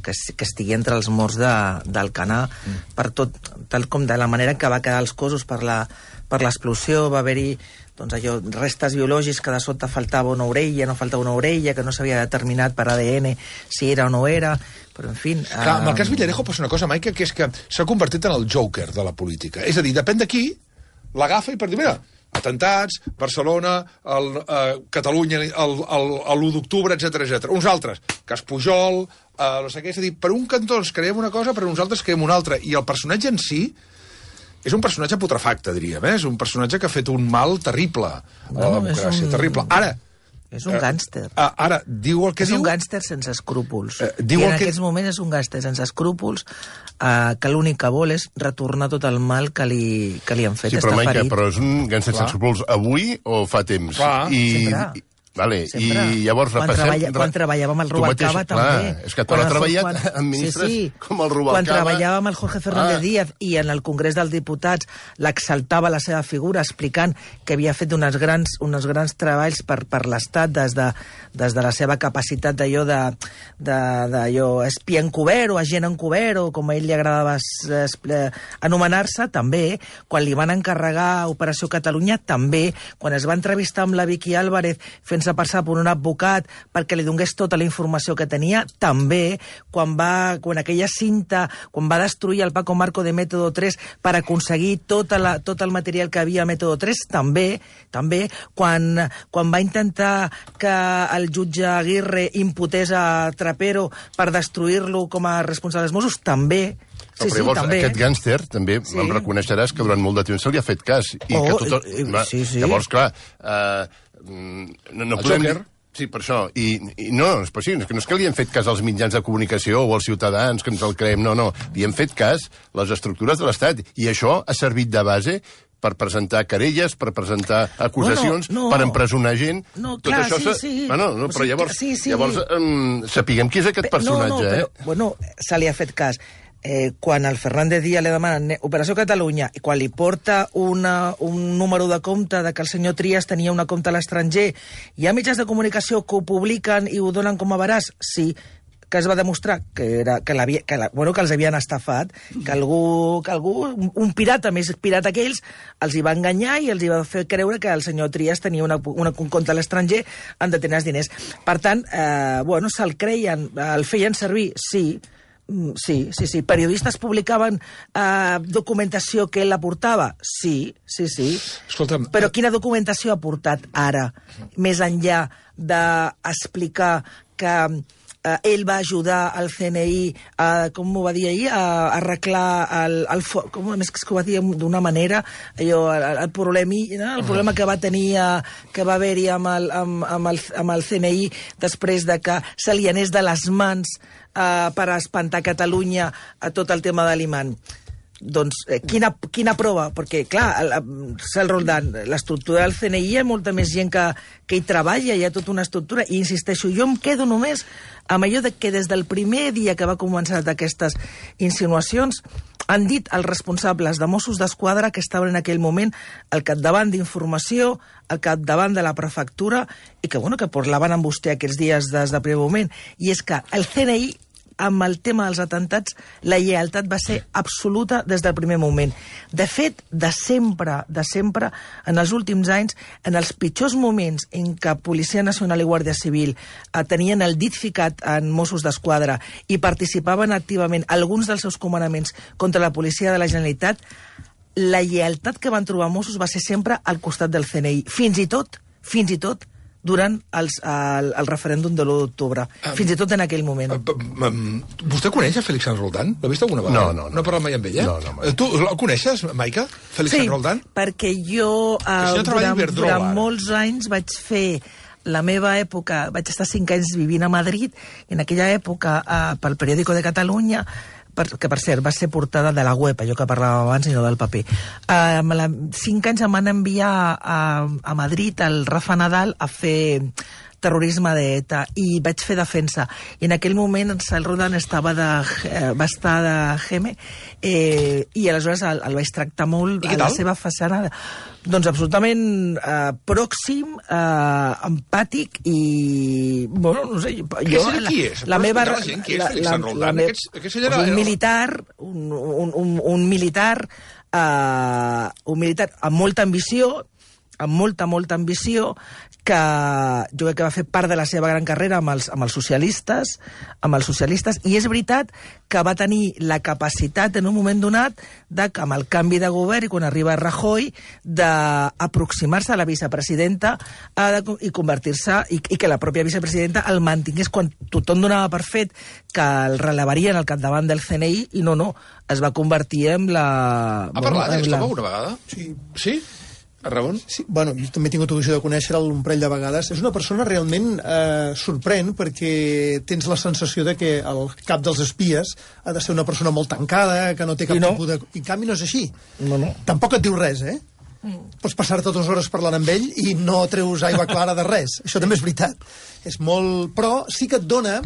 [SPEAKER 5] que, que estigui entre els morts de, d'Alcanar mm. per tot, tal com de la manera que va quedar els cossos per la, per l'explosió, va haver-hi doncs allò, restes biològics que de sota faltava una orella, no faltava una orella, que no s'havia determinat per A D N si era o no era, però en fi...
[SPEAKER 3] Clar, amb el cas Villarejo passa una cosa, Maica, que és que s'ha convertit en el Joker de la política. És a dir, depèn de qui, l'agafa i per dir, mira, atentats, Barcelona, el, eh, Catalunya, l'u d'octubre, etcètera, etcètera. Uns altres, cas Pujol, eh, no sé què, és a dir, per un cantó ens creiem una cosa, per uns altres creiem una altra. I el personatge en si és un personatge putrefacte, diríem, eh? És un personatge que ha fet un mal terrible a la
[SPEAKER 5] No,
[SPEAKER 3] democràcia,
[SPEAKER 5] un-
[SPEAKER 3] terrible. Ara,
[SPEAKER 5] És un gàngster.
[SPEAKER 3] eh, ara, diu el que
[SPEAKER 5] És
[SPEAKER 3] diu...
[SPEAKER 5] un gàngster sense escrúpols.
[SPEAKER 3] Eh,
[SPEAKER 5] I
[SPEAKER 3] diu
[SPEAKER 5] en
[SPEAKER 3] el que-
[SPEAKER 5] aquests moments és un gàngster sense escrúpols eh, que l'únic que vol és retornar tot el mal que li, que li han fet.
[SPEAKER 4] Sí, però,
[SPEAKER 5] Està
[SPEAKER 4] Maica,
[SPEAKER 5] ferit.
[SPEAKER 4] però és un gàngster
[SPEAKER 3] Clar.
[SPEAKER 4] sense escrúpols avui o fa temps?
[SPEAKER 3] Clar,
[SPEAKER 5] sempre.
[SPEAKER 4] Vale,
[SPEAKER 5] Sempre.
[SPEAKER 4] i llavors
[SPEAKER 5] quan,
[SPEAKER 4] repassem...
[SPEAKER 5] treballa, quan treballava amb el
[SPEAKER 4] Tu mateix,
[SPEAKER 5] Rubalcaba també.
[SPEAKER 4] Clar, és que quan ha
[SPEAKER 5] el-
[SPEAKER 4] treballat
[SPEAKER 5] quan-
[SPEAKER 4] amb ministres
[SPEAKER 5] sí, sí.
[SPEAKER 4] com el Rubalcaba...
[SPEAKER 5] Quan treballava amb el Jorge Fernández
[SPEAKER 4] Ah.
[SPEAKER 5] Díaz i en el Congrés dels Diputats l'exaltava la seva figura explicant que havia fet uns grans, uns grans treballs per, per l'Estat des, de, des de la seva capacitat d'allò de, de, d'allò espia encobert o agent encobert o com a ell li agradava es- es- anomenar-se, també. Quan li van encarregar Operació Catalunya, també. Quan es va entrevistar amb la Vicky Álvarez fent-se passar per un advocat perquè li donés tota la informació que tenia, també. Quan va, quan aquella cinta, quan va destruir el Paco Marco de Método tres per aconseguir tota la, tot el material que havia a Método tres, també. també. Quan, quan va intentar que el jutge Aguirre imputés a Trapero per destruir-lo com a responsable dels Mossos, també.
[SPEAKER 4] Però, però llavors,
[SPEAKER 5] també.
[SPEAKER 4] aquest gàngster, també
[SPEAKER 5] Sí.
[SPEAKER 4] em reconeixeràs que durant molt de temps se li ha fet cas. I
[SPEAKER 5] Oh,
[SPEAKER 4] que tot,
[SPEAKER 5] eh, eh,
[SPEAKER 4] va,
[SPEAKER 5] sí, sí.
[SPEAKER 4] Llavors, clar, eh, no, no
[SPEAKER 3] El
[SPEAKER 4] podem...
[SPEAKER 3] Joker.
[SPEAKER 4] Sí, per això. I, i no, és, sí, és que no és que li hem fet cas als mitjans de comunicació o als ciutadans, que ens el creem, no, no. Li hem fet cas les estructures de l'Estat. I això ha servit de base per presentar querelles, per presentar acusacions,
[SPEAKER 5] Bueno, no.
[SPEAKER 4] per empresonar gent.
[SPEAKER 5] No,
[SPEAKER 4] Tot
[SPEAKER 5] clar,
[SPEAKER 4] això
[SPEAKER 5] sí,
[SPEAKER 4] s'ha-
[SPEAKER 5] sí.
[SPEAKER 4] Bueno, no,
[SPEAKER 5] O
[SPEAKER 4] però
[SPEAKER 5] sigui,
[SPEAKER 4] llavors,
[SPEAKER 5] sí, sí.
[SPEAKER 4] llavors um, sapiguem qui és aquest personatge,
[SPEAKER 5] no, no, però,
[SPEAKER 4] eh?
[SPEAKER 5] bueno, se li ha fet cas. Eh, quan el Fernández Díaz li demana Operació Catalunya i quan li porta una, un número de compte de que el senyor Trias tenia una compte a l'estranger, hi ha mitjans de comunicació que ho publiquen i ho donen com a veraç? Sí. que es va demostrar que, era, que, que, la, bueno, que els havien estafat, que algú, que algú, un pirata més pirata que ells, els hi va enganyar i els hi va fer creure que el senyor Trias tenia una, una, un compte a l'estranger en determinats diners. Per tant, eh, bueno, se'l creien, el feien servir, sí, sí, sí, sí. Periodistes publicaven eh, documentació que ell aportava? Sí, sí, sí.
[SPEAKER 3] Escolta'm...
[SPEAKER 5] Però quina documentació ha aportat ara, més enllà d'explicar que eh, ell va ajudar el C N I, a, com m'ho va dir ahir, a, a arreglar el, el com més que ho va dir d'una manera, allò, el, el, problemi, no? el problema que va tenir, eh, que va haver-hi amb, el, amb, amb, el, amb el C N I després de que se li anés de les mans Uh, per espantar Catalunya a tot el tema de l'imant. Doncs, eh, quina, quina prova? Perquè, clar, Cel Roldán, l'estructura del C N I hi ha molta més gent que, que hi treballa, hi ha tota una estructura, i insisteixo, jo em quedo només amb allò de que des del primer dia que va començar aquestes insinuacions han dit els responsables de Mossos d'Esquadra que estaven en aquell moment al capdavant d'informació, al capdavant de la prefectura, i que, bueno, que parlaven amb vostè aquests dies des del primer moment, i és que el C N I, amb el tema dels atentats, la lleialtat va ser absoluta des del primer moment. De fet, de sempre, de sempre, en els últims anys, en els pitjors moments en què Policia Nacional i Guàrdia Civil eh, tenien el dit ficat en Mossos d'Esquadra i participaven activament alguns dels seus comandaments contra la policia de la Generalitat, la lleialtat que van trobar Mossos va ser sempre al costat del C N I. Fins i tot, fins i tot, durant els, el, el referèndum de l'u d'octubre, um, fins i tot en aquell moment.
[SPEAKER 3] Um, um, vostè coneix a Félix Sanz Roldán? L'ha vist alguna vegada?
[SPEAKER 4] No, no. No,
[SPEAKER 3] no ha parlat mai amb ella?
[SPEAKER 4] No, no, mai.
[SPEAKER 3] Tu el coneixes, Maica, Félix
[SPEAKER 5] sí,
[SPEAKER 3] Sanz Roldán?
[SPEAKER 5] Sí, perquè jo uh, durant, durant molts anys vaig fer la meva època, vaig estar cinc anys vivint a Madrid, i en aquella època, uh, pel Periódico de Catalunya, per, que per cert va ser portada de la web, allò que parlàvem abans i no del paper. Uh, la, cinc anys em van enviar a, a Madrid el Rafa Nadal a fer terrorisme d'ETA i vaig fer defensa. I en aquell moment en Cel Roldán estava de, eh, va estar de Geme eh, i aleshores el, el vaig tractar molt a la seva façana. Doncs absolutament eh, pròxim, eh, empàtic i... Bueno, no sé... Jo,
[SPEAKER 3] Què serà qui és?
[SPEAKER 5] La, la meva...
[SPEAKER 3] La gent, qui és
[SPEAKER 5] la,
[SPEAKER 3] Félix
[SPEAKER 5] la,
[SPEAKER 3] Sanz Roldán?
[SPEAKER 5] la me...
[SPEAKER 3] Aquests, aquests era...
[SPEAKER 5] Un militar, un, un, un, un militar, eh, un militar amb molta ambició, amb molta, molta ambició, que jo crec que va fer part de la seva gran carrera amb els, amb els socialistes, amb els socialistes, i és veritat que va tenir la capacitat en un moment donat de, amb el canvi de govern i quan arriba Rajoy, d'aproximar-se a la vicepresidenta eh, de, i convertir-se, i, i que la pròpia vicepresidenta el mantingués quan tothom donava per fet que el relevarien al capdavant del C N I, i no, no, es va convertir en la...
[SPEAKER 3] Ha bueno, parlat d'aquesta la... una vegada?
[SPEAKER 7] Sí.
[SPEAKER 3] Sí? A Ramon?
[SPEAKER 7] Sí, bueno, jo també he tingut l'ocasió de conèixer-lo un parell de vegades. És una persona realment eh, sorprèn perquè tens la sensació de que el cap dels espies ha de ser una persona molt tancada, que no té cap
[SPEAKER 5] no.
[SPEAKER 7] tipus de... I en canvi no és així.
[SPEAKER 5] No, no.
[SPEAKER 7] Tampoc et diu res, eh? Mm. Pots passar-te dues hores parlant amb ell i no treus aigua clara de res. Això també és veritat. És molt... Però sí que et dona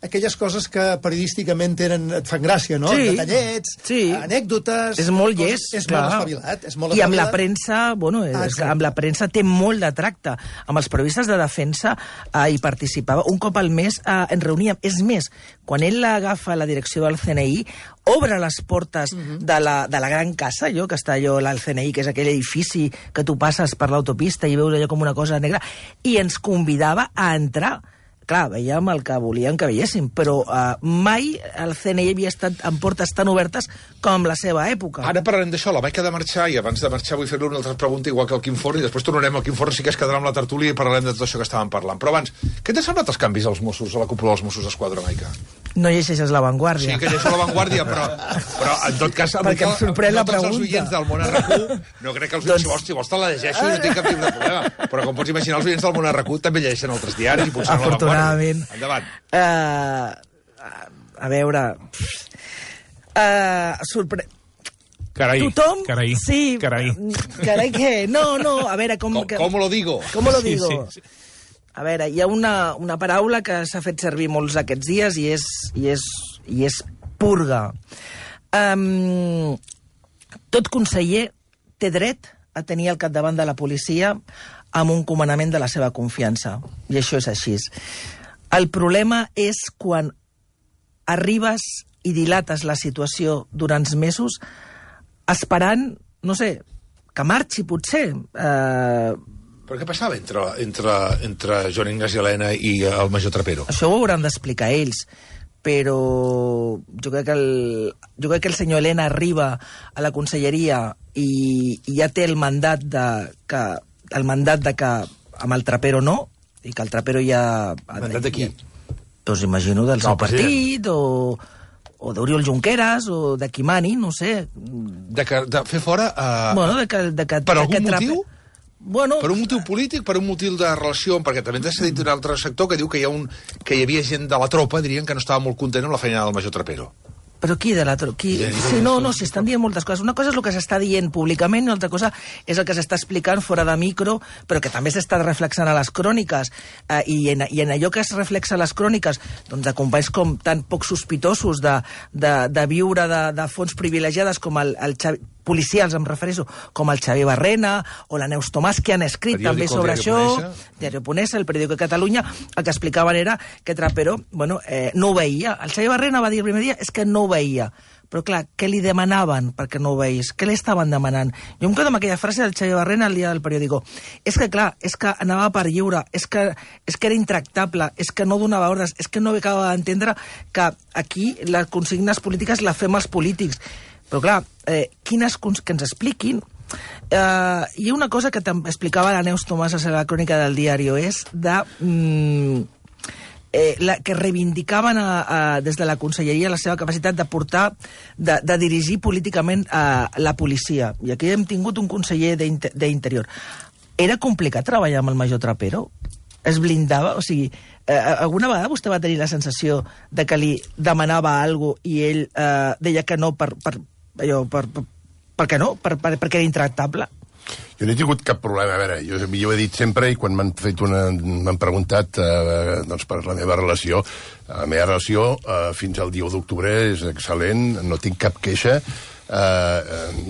[SPEAKER 7] aquelles coses que periodísticament tenen, et fan gràcia, no?
[SPEAKER 5] Sí,
[SPEAKER 7] detallets,
[SPEAKER 5] sí.
[SPEAKER 7] anècdotes...
[SPEAKER 5] És molt
[SPEAKER 7] coses,
[SPEAKER 5] llest,
[SPEAKER 7] és
[SPEAKER 5] clar.
[SPEAKER 7] molt espavilat, és molt
[SPEAKER 5] I amb
[SPEAKER 7] espavilat.
[SPEAKER 5] la premsa, bueno,
[SPEAKER 7] Ah,
[SPEAKER 5] és, amb la premsa té molt de tracte. Amb els periodistes de defensa eh, hi participava. Un cop al mes eh, ens reuníem. És més, quan ell agafa la direcció del C N I, obre les portes uh-huh. de, la, de la gran casa, allò que està allò, el C N I, que és aquell edifici que tu passes per l'autopista i veus allò com una cosa negra, i ens convidava a entrar. Clar, veiem el que volien que veiéssim, però uh, mai el C N I havia estat amb portes tan obertes com la seva època.
[SPEAKER 3] Ara parlarem d'això, la Maica ha de marxar, i abans de marxar vull fer-li una altra pregunta, igual que el Quim Forn, i després tornarem al Quim Forn, sí que es quedarà amb la tertúlia i parlarem de tot això que estàvem parlant. Però abans, què t'ha semblat els canvis als Mossos, a la cúpula dels Mossos d'Esquadra, Maica?
[SPEAKER 5] No llegeixes La Vanguardia.
[SPEAKER 3] Sí que llegeixo La Vanguardia, però, però en tot cas...
[SPEAKER 5] Perquè em sorprèn
[SPEAKER 3] no
[SPEAKER 5] la
[SPEAKER 3] tots els
[SPEAKER 5] pregunta.
[SPEAKER 3] oients del Món R Q, no crec que els oients, doncs... si vols, si vols te la llegeixo i no tinc cap tipus de problema. Però com pots imaginar, els oients del Món R Q també llegeixen altres diaris i potser no La Vanguardia. Endavant.
[SPEAKER 5] Uh, a veure... Uh, sorpre...
[SPEAKER 6] Carai,
[SPEAKER 5] Tothom...
[SPEAKER 6] carai,
[SPEAKER 5] sí,
[SPEAKER 6] carai.
[SPEAKER 5] Carai què? No, no, a veure... Com,
[SPEAKER 3] Com, com lo digo?
[SPEAKER 5] Com lo digo?
[SPEAKER 6] Sí, sí.
[SPEAKER 5] A veure, hi ha una, una paraula que s'ha fet servir molts aquests dies i és, i és, i és purga. Um, tot conseller té dret a tenir al capdavant de la policia amb un comandament de la seva confiança. I això és així. El problema és quan arribes i dilates la situació durant mesos esperant, no sé, que marxi, potser. Eh...
[SPEAKER 3] Però què passava entre, entre, entre Joan Ignasi Elena i el major Trapero?
[SPEAKER 5] Això ho hauran d'explicar ells, però jo crec, que el, jo crec que el senyor Elena arriba a la conselleria i, i ja té el mandat de que, el mandat de que amb el Trapero no, i que el Trapero ja...
[SPEAKER 3] El mandat de qui?
[SPEAKER 5] Doncs imagino del
[SPEAKER 3] no,
[SPEAKER 5] seu partit, o... o d'Oriol Junqueras, o de qui mani, no sé.
[SPEAKER 3] De, que, de fer fora... Uh,
[SPEAKER 5] bueno, de que, de que,
[SPEAKER 3] per
[SPEAKER 5] de
[SPEAKER 3] algun
[SPEAKER 5] que
[SPEAKER 3] motiu?
[SPEAKER 5] Bueno,
[SPEAKER 3] per un motiu polític, per un motiu de relació, perquè també t'ha dit d'un altre sector que diu que hi, ha un, que hi havia gent de la tropa, dirien, que no estava molt content amb la feina del major Trapero.
[SPEAKER 5] Però qui de la tropa? Qui... Sí, no, no, s'estan dient moltes coses. Una cosa és el que s'està dient públicament i una altra cosa és el que s'està explicant fora de micro, però que també s'està reflexant a les cròniques. Eh, i, en, I en allò que es reflexa a les cròniques, doncs de companys com tan poc sospitosos de, de, de viure de, de fonts privilegiades com el, el Xavi, policials, em refereixo, com el Xavier Barrena o la Neus Tomàs, que han escrit
[SPEAKER 3] periòdico,
[SPEAKER 5] també sobre això,
[SPEAKER 3] Diario
[SPEAKER 5] Ponesa, el periòdico de Catalunya, el que explicaven era que Trapero, bueno, eh, no ho veia. El Xavier Barrena va dir el primer dia és que no ho veia. Però clar, què li demanaven perquè no ho veís? Què li estaven demanant? Jo em quedo amb aquella frase del Xavier Barrena el dia del periòdico. És que clar, és que anava per lliure, és que, és que era intractable, és que no donava ordres, és que no acaba d'entendre que aquí les consignes polítiques les fem els polítics. Però clar, eh, quines que ens expliquin. Eh, hi ha una cosa que explicava la Neus Tomàs a la crònica del diari, és de... Mm, Eh, la, que reivindicaven a, a, des de la conselleria la seva capacitat de portar, de, de dirigir políticament a la policia. I aquí hem tingut un conseller d'Interior. Era complicat treballar amb el major Trapero? Es blindava? O sigui, eh, alguna vegada vostè va tenir la sensació de que li demanava alguna cosa i ell eh, deia que no per, per, allò, per, per, per què no? Per, per, perquè era intractable?
[SPEAKER 4] Jo no he tingut cap problema. A veure, jo, jo ho he dit sempre i quan m'han fet una... m'han preguntat eh, doncs per la meva relació. La meva relació eh, fins al dia u d'octubre és excel·lent, no tinc cap queixa, eh,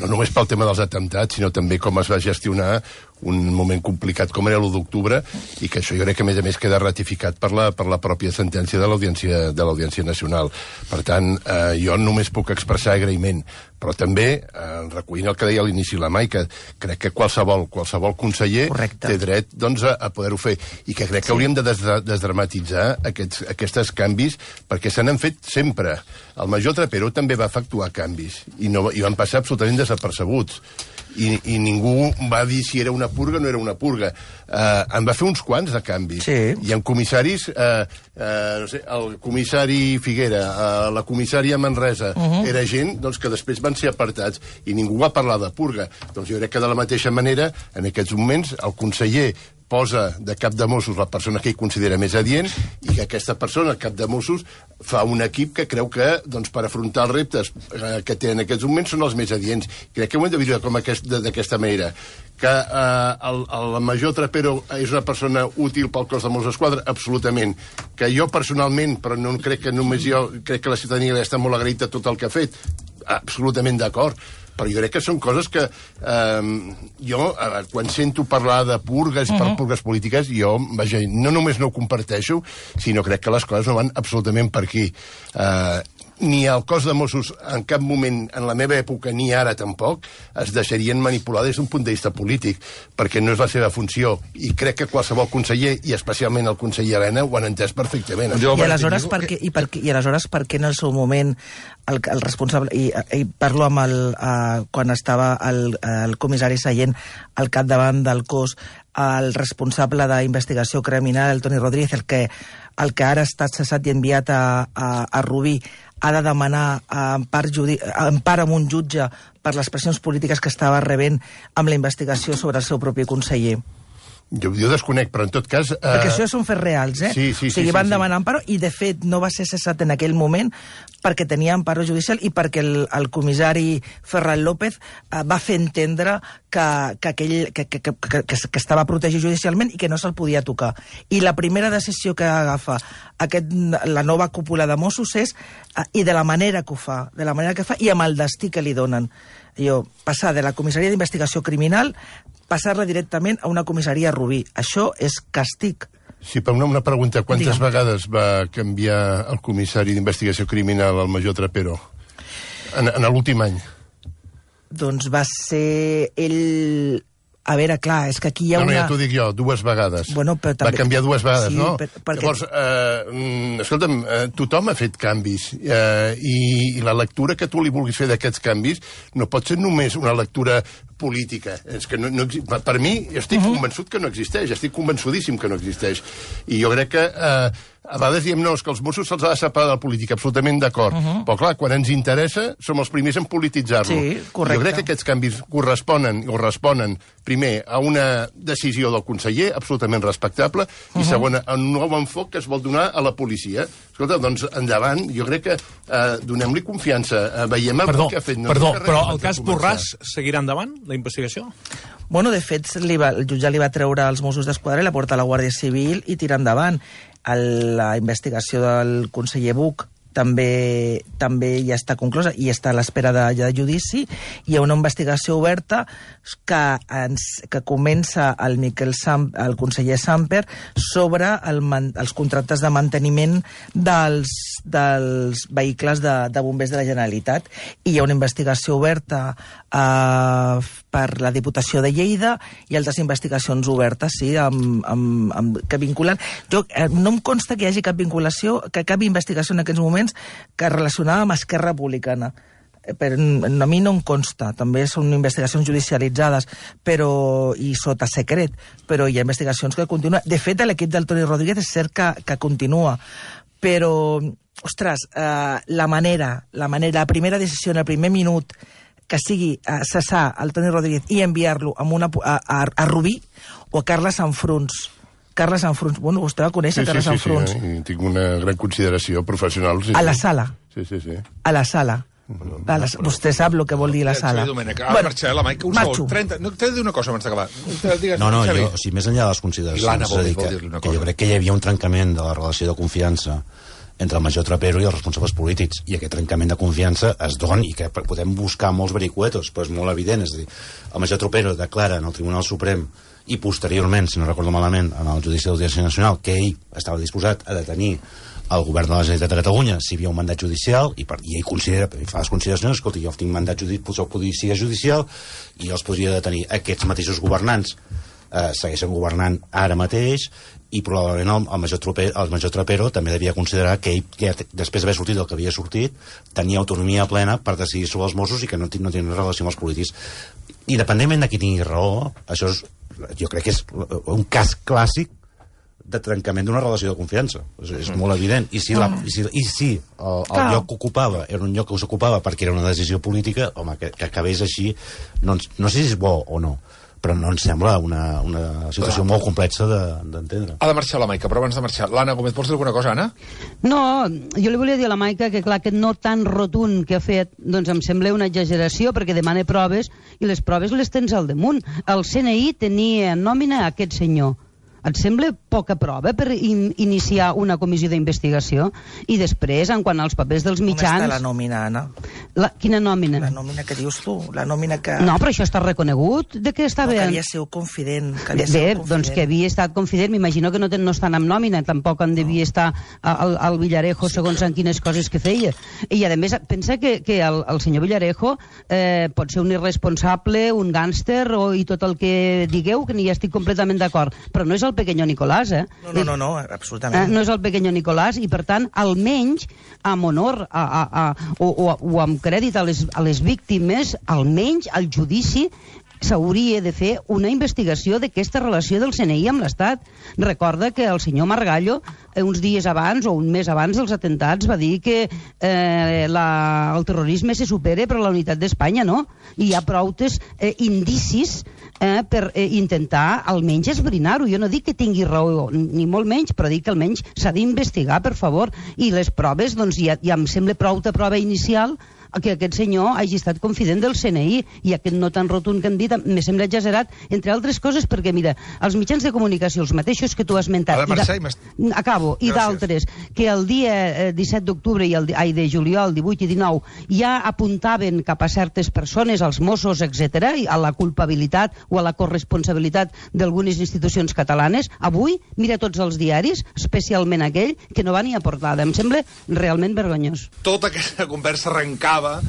[SPEAKER 4] no només pel tema dels atemptats, sinó també com es va gestionar un moment complicat com era l'u d'octubre, i que això jo crec que a més a més queda ratificat per la, per la pròpia sentència de l'Audiència de l'Audiència Nacional. Per tant, eh, jo només puc expressar agraïment, però també, eh, recollint el que deia a l'inici la Mai, que crec que qualsevol, qualsevol conseller Correcte. Té dret doncs, a, a poder-ho fer, i que crec que sí. hauríem de des desdramatitzar aquests, aquests canvis, perquè se n'han fet sempre. El major Trapero també va efectuar canvis, i, no, i van passar absolutament desapercebuts. I, i ningú va dir si era una purga o no era una purga. Uh, en va fer uns quants de canvis.
[SPEAKER 5] Sí.
[SPEAKER 4] I en comissaris, uh, uh, no sé, el comissari Figuera, uh, la comissària Manresa, uh -huh. era gent doncs, que després van ser apartats i ningú va parlar de purga. Doncs jo crec que de la mateixa manera, en aquests moments, el conseller posa de cap de Mossos la persona que ell considera més adient i que aquesta persona, el cap de Mossos, fa un equip que creu que doncs, per afrontar els reptes eh, que té en aquests moments són els més adients. Crec que ho hem de viure com aquest, d'aquesta manera. Que eh, el, el major Trapero és una persona útil pel cos de Mossos d'Esquadra? Absolutament. Que jo personalment, però no crec que només jo, crec que la ciutadania està molt agraïda a tot el que ha fet, absolutament d'acord. Però jo crec que són coses que eh, jo, eh, quan sento parlar de purgues, uh-huh. per purgues polítiques, jo, vaja, no només no ho comparteixo, sinó crec que les coses no van absolutament per aquí. Eh, ni el cos de Mossos en cap moment, en la meva època, ni ara tampoc, es deixarien manipular des d'un punt de vista polític, perquè no és la seva funció. I crec que qualsevol conseller, i especialment el conseller Elena, ho han entès perfectament.
[SPEAKER 5] I aleshores, per què, i, per, i aleshores per què en el seu moment el, el responsable, i, i parlo amb el, uh, quan estava el, el comissari Sallent al capdavant del cos, el responsable d'investigació criminal, el Toni Rodríguez, el que, el que ara ha estat cessat i enviat a, a, a Rubí, ha de demanar empar, judi... empar amb un jutge per les pressions polítiques que estava rebent amb la investigació sobre el seu propi conseller.
[SPEAKER 4] Jo, jo desconec, però en tot cas... Eh...
[SPEAKER 5] Perquè això són fets reals, eh?
[SPEAKER 4] Sí, sí,
[SPEAKER 5] o sigui,
[SPEAKER 4] sí,
[SPEAKER 5] van
[SPEAKER 4] sí,
[SPEAKER 5] demanar
[SPEAKER 4] sí.
[SPEAKER 5] emparo i, de fet, no va ser cessat en aquell moment perquè tenia emparo judicial i perquè el, el comissari Ferran López eh, va fer entendre que, que, aquell, que, que, que, que, que estava protegit judicialment i que no se'l podia tocar. I la primera decisió que agafa aquest, la nova cúpula de Mossos és, eh, i de la manera que ho fa, de la manera que fa i amb el destí que li donen. Jo, passar de la comissaria d'investigació criminal passar-la directament a una comissaria Rubí. Això és càstig.
[SPEAKER 4] Sí, per una, una pregunta. Quantes
[SPEAKER 5] Digue'm.
[SPEAKER 4] vegades va canviar el comissari d'investigació criminal, el major Trapero, en, en l'últim any?
[SPEAKER 5] Doncs va ser ell... A veure, clar, és que aquí hi ha
[SPEAKER 4] no, no,
[SPEAKER 5] una...
[SPEAKER 4] ja t'ho dic jo, dues vegades.
[SPEAKER 5] Bueno, però també...
[SPEAKER 4] Va canviar dues vegades,
[SPEAKER 5] sí,
[SPEAKER 4] no?
[SPEAKER 5] Per, perquè...
[SPEAKER 4] Llavors, eh, escolta'm, eh, tothom ha fet canvis, eh, i, i la lectura que tu li vulguis fer d'aquests canvis no pot ser només una lectura política. És que no, no, per mi, estic uh -huh. convençut que no existeix, estic convençudíssim que no existeix. I jo crec que... Eh, a vegades diem, no, és que els Mossos se'ls ha de separar de la política, absolutament d'acord. Uh -huh. Però, clar, quan ens interessa, som els primers en polititzar-lo.
[SPEAKER 5] Sí, correcte.
[SPEAKER 4] Jo crec que aquests canvis corresponen, o responen, primer, a una decisió del conseller, absolutament respectable, uh -huh. i segon, a un nou enfoc que es vol donar a la policia. Escolta, doncs, endavant, jo crec que eh, donem-li confiança. Eh, veiem el
[SPEAKER 6] Perdó,
[SPEAKER 4] que ha fet. No
[SPEAKER 6] perdó,
[SPEAKER 4] res
[SPEAKER 6] però
[SPEAKER 4] abans
[SPEAKER 6] el
[SPEAKER 4] de
[SPEAKER 6] cas
[SPEAKER 4] començar.
[SPEAKER 6] Borràs seguirà endavant, la investigació?
[SPEAKER 5] Bueno, de fet, li va, el jutjat li va treure als Mossos d'Esquadra i la porta a la Guàrdia Civil i tirar endavant. El, la investigació del conseller Buch també, també ja està conclosa i està a l'espera de, de judici. Hi ha una investigació oberta que, ens, que comença el, Miquel Sam, el conseller Samper sobre el, els contractes de manteniment dels, dels vehicles de, de bombers de la Generalitat. I hi ha una investigació oberta eh, per la Diputació de Lleida i altres investigacions obertes, sí, amb, amb, amb, que vinculen... Jo, eh, no em consta que hi hagi cap vinculació, que cap investigació en aquests moments que relacionava amb Esquerra Republicana. Però a mi no em consta, també són investigacions judicialitzades però i sota secret, però hi ha investigacions que continuen. De fet, l'equip del Toni Rodríguez és cert que, que continua, però, ostres, eh, la manera, la manera, la primera decisió en el primer minut que sigui eh, cessar el Toni Rodríguez i enviar-lo a, una, a, a, a Rubí o a Carles Sanfruns. Carles Sanfruns, bueno, vostè va conèixer
[SPEAKER 4] sí,
[SPEAKER 5] Carles
[SPEAKER 4] sí, sí,
[SPEAKER 5] Sanfruns.
[SPEAKER 4] Sí, sí, tinc una gran consideració professional. Sí,
[SPEAKER 5] a la
[SPEAKER 4] sí.
[SPEAKER 5] sala.
[SPEAKER 4] Sí, sí, sí.
[SPEAKER 5] A la sala. A la, vostè sap el que vol dir la sala.
[SPEAKER 3] Sí, Domènec, ara bueno, marxaré la Maica. Un
[SPEAKER 5] marxo.
[SPEAKER 3] segon, trenta... No, t'he de dir una cosa abans d'acabar. Digues,
[SPEAKER 8] No, no,
[SPEAKER 3] Xavi.
[SPEAKER 8] jo, o sigui, més enllà de les consideracions,
[SPEAKER 3] L'Anna vol,
[SPEAKER 8] és a dir,
[SPEAKER 3] vol
[SPEAKER 8] que,
[SPEAKER 3] dir-li una
[SPEAKER 8] que
[SPEAKER 3] cosa.
[SPEAKER 8] jo crec que hi havia un trencament de la relació de confiança entre el major Trapero i els responsables polítics, i aquest trencament de confiança es dona, i que podem buscar molts vericuetos, però és molt evident, és a dir, el major Trapero declara en el Tribunal Suprem i posteriorment, si no recordo malament, en el Judici d'Audiència Nacional, que ell estava disposat a detenir el govern de la Generalitat de Catalunya si hi havia un mandat judicial, i, per, i ell considera, fa les consideracions, escolta, jo tinc mandat judicial, policia judicial, i els podria detenir. Aquests mateixos governants eh, segueixen governant ara mateix, i probablement el, el, major Trapero, el major Trapero també devia considerar que ell, que després d'haver sortit del que havia sortit, tenia autonomia plena per decidir sobre els Mossos i que no, no tenia relació amb els polítics. Independentment de qui tingui raó, això és, jo crec que és un cas clàssic de trencament d'una relació de confiança. És, és molt evident. I si, la, i si, i si el, el lloc que ocupava era un lloc que s'ocupava perquè era una decisió política, home, que, que acabés així, no, no sé si és bo o no, però no ens sembla una, una situació
[SPEAKER 3] Clar.
[SPEAKER 8] molt complexa d'entendre.
[SPEAKER 3] Ha de marxar la Maica, però abans de marxar... L'Anna Gómez, vols dir alguna cosa, Anna?
[SPEAKER 9] No, jo li volia dir a la Maica que, clar, aquest no tan rotund que ha fet, doncs em sembla una exageració, perquè demana proves, i les proves les tens al damunt. El C N I tenia en nòmina a aquest senyor. Et sembla poca prova per in iniciar una comissió d'investigació? I després, en quant als papers dels mitjans...
[SPEAKER 5] On està la nòmina, Anna?
[SPEAKER 9] La, quina nòmina?
[SPEAKER 5] La nòmina que dius tu, la nòmina que...
[SPEAKER 9] No, però això està reconegut, de què està
[SPEAKER 5] no,
[SPEAKER 9] bé?
[SPEAKER 5] que havia sigut confident. Que havia
[SPEAKER 9] Bé,
[SPEAKER 5] sigut confident.
[SPEAKER 9] doncs que havia estat confident, m'imagino que no, ten, no estan amb nòmina, tampoc en devia estar al, al Villarejo segons en quines coses que feia. I a més, pensa que, que el, el senyor Villarejo eh, pot ser un irresponsable, un gàngster o, i tot el que digueu, que n'hi estic completament d'acord, però no és el pequeño Nicolás, eh?
[SPEAKER 5] No, no, no, no absolutament.
[SPEAKER 9] Eh, no és el pequeño Nicolás, i per tant, almenys, amb honor a, a, a, o, o, o amb crèdit a les, a les víctimes, almenys al judici s'hauria de fer una investigació d'aquesta relació del C N I amb l'Estat. Recorda que el senyor Margallo, eh, uns dies abans o un mes abans dels atentats, va dir que eh, la, el terrorisme se supera per la unitat d'Espanya, no? I hi ha prou eh, indicis eh, per eh, intentar almenys esbrinar-ho. Jo no dic que tingui raó, ni molt menys, però dic que almenys s'ha d'investigar, per favor. I les proves, doncs, ja, ja em sembla prou de prova inicial que aquest senyor hagi estat confident del C N I, i aquest no tan rotund que han dit me sembla exagerat, entre altres coses perquè, mira, els mitjans de comunicació, els mateixos que tu has esmentat,
[SPEAKER 3] Ha de marxar i m'est-
[SPEAKER 9] acabo, i
[SPEAKER 3] Gràcies.
[SPEAKER 9] d'altres, que el dia eh, disset d'octubre i el, di- ai, de juliol, divuit i dinou, ja apuntaven cap a certes persones, als Mossos, etcètera, i a la culpabilitat o a la corresponsabilitat d'algunes institucions catalanes. Avui, mira tots els diaris, especialment aquell, que no va ni a portada. Em sembla realment vergonyós.
[SPEAKER 3] Tota aquesta conversa arrencava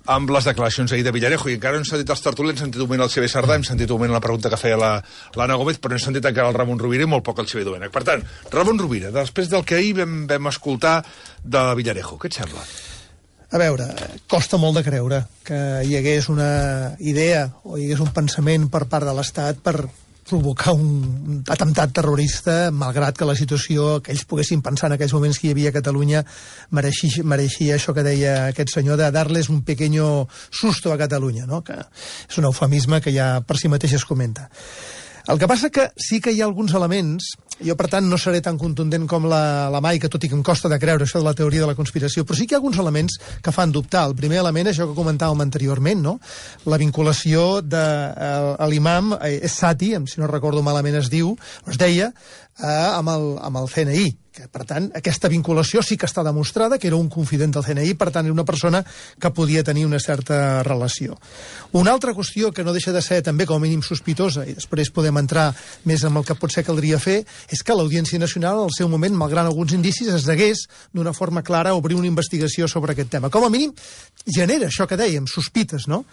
[SPEAKER 3] amb les declaracions ahir de Villarejo, i encara no hem sentit els tertulians, hem sentit un moment el Xavier Sardà, hem sentit un moment la pregunta que feia la- l'Anna Gómez, però no hem sentit encara el Ramon Rovira i molt poc el Xavier Domènech. Per tant, Ramon Rovira, després del que ahir vam, vam escoltar de Villarejo, què et sembla?
[SPEAKER 7] A veure, costa molt de creure que hi hagués una idea o hi hagués un pensament per part de l'Estat per provocar un atemptat terrorista, malgrat que la situació que ells poguessin pensar en aquells moments que hi havia a Catalunya mereixia, mereixia això que deia aquest senyor, de darles un pequeño susto a Catalunya, no? Que és un eufemisme que ja per si mateix es comenta. El que passa que sí que hi ha alguns elements, jo per tant no seré tan contundent com la, la Mai, que tot i que em costa de creure això de la teoria de la conspiració, però sí que hi ha alguns elements que fan dubtar. El primer element és això que comentàvem anteriorment, no? La vinculació de eh, l'imam eh, Sati, si no recordo malament es diu, es deia, eh, amb, el, amb el C N I, que per tant aquesta vinculació sí que està demostrada, que era un confident del C N I, per tant era una persona que podia tenir una certa relació. Una altra qüestió que no deixa de ser també com a mínim sospitosa, i després podem entrar més en el que potser caldria fer, és que l'Audiència Nacional, al seu moment, malgrat alguns indicis, es degués d'una forma clara a obrir una investigació sobre aquest tema. Com a mínim, genera això que dèiem, sospites, no?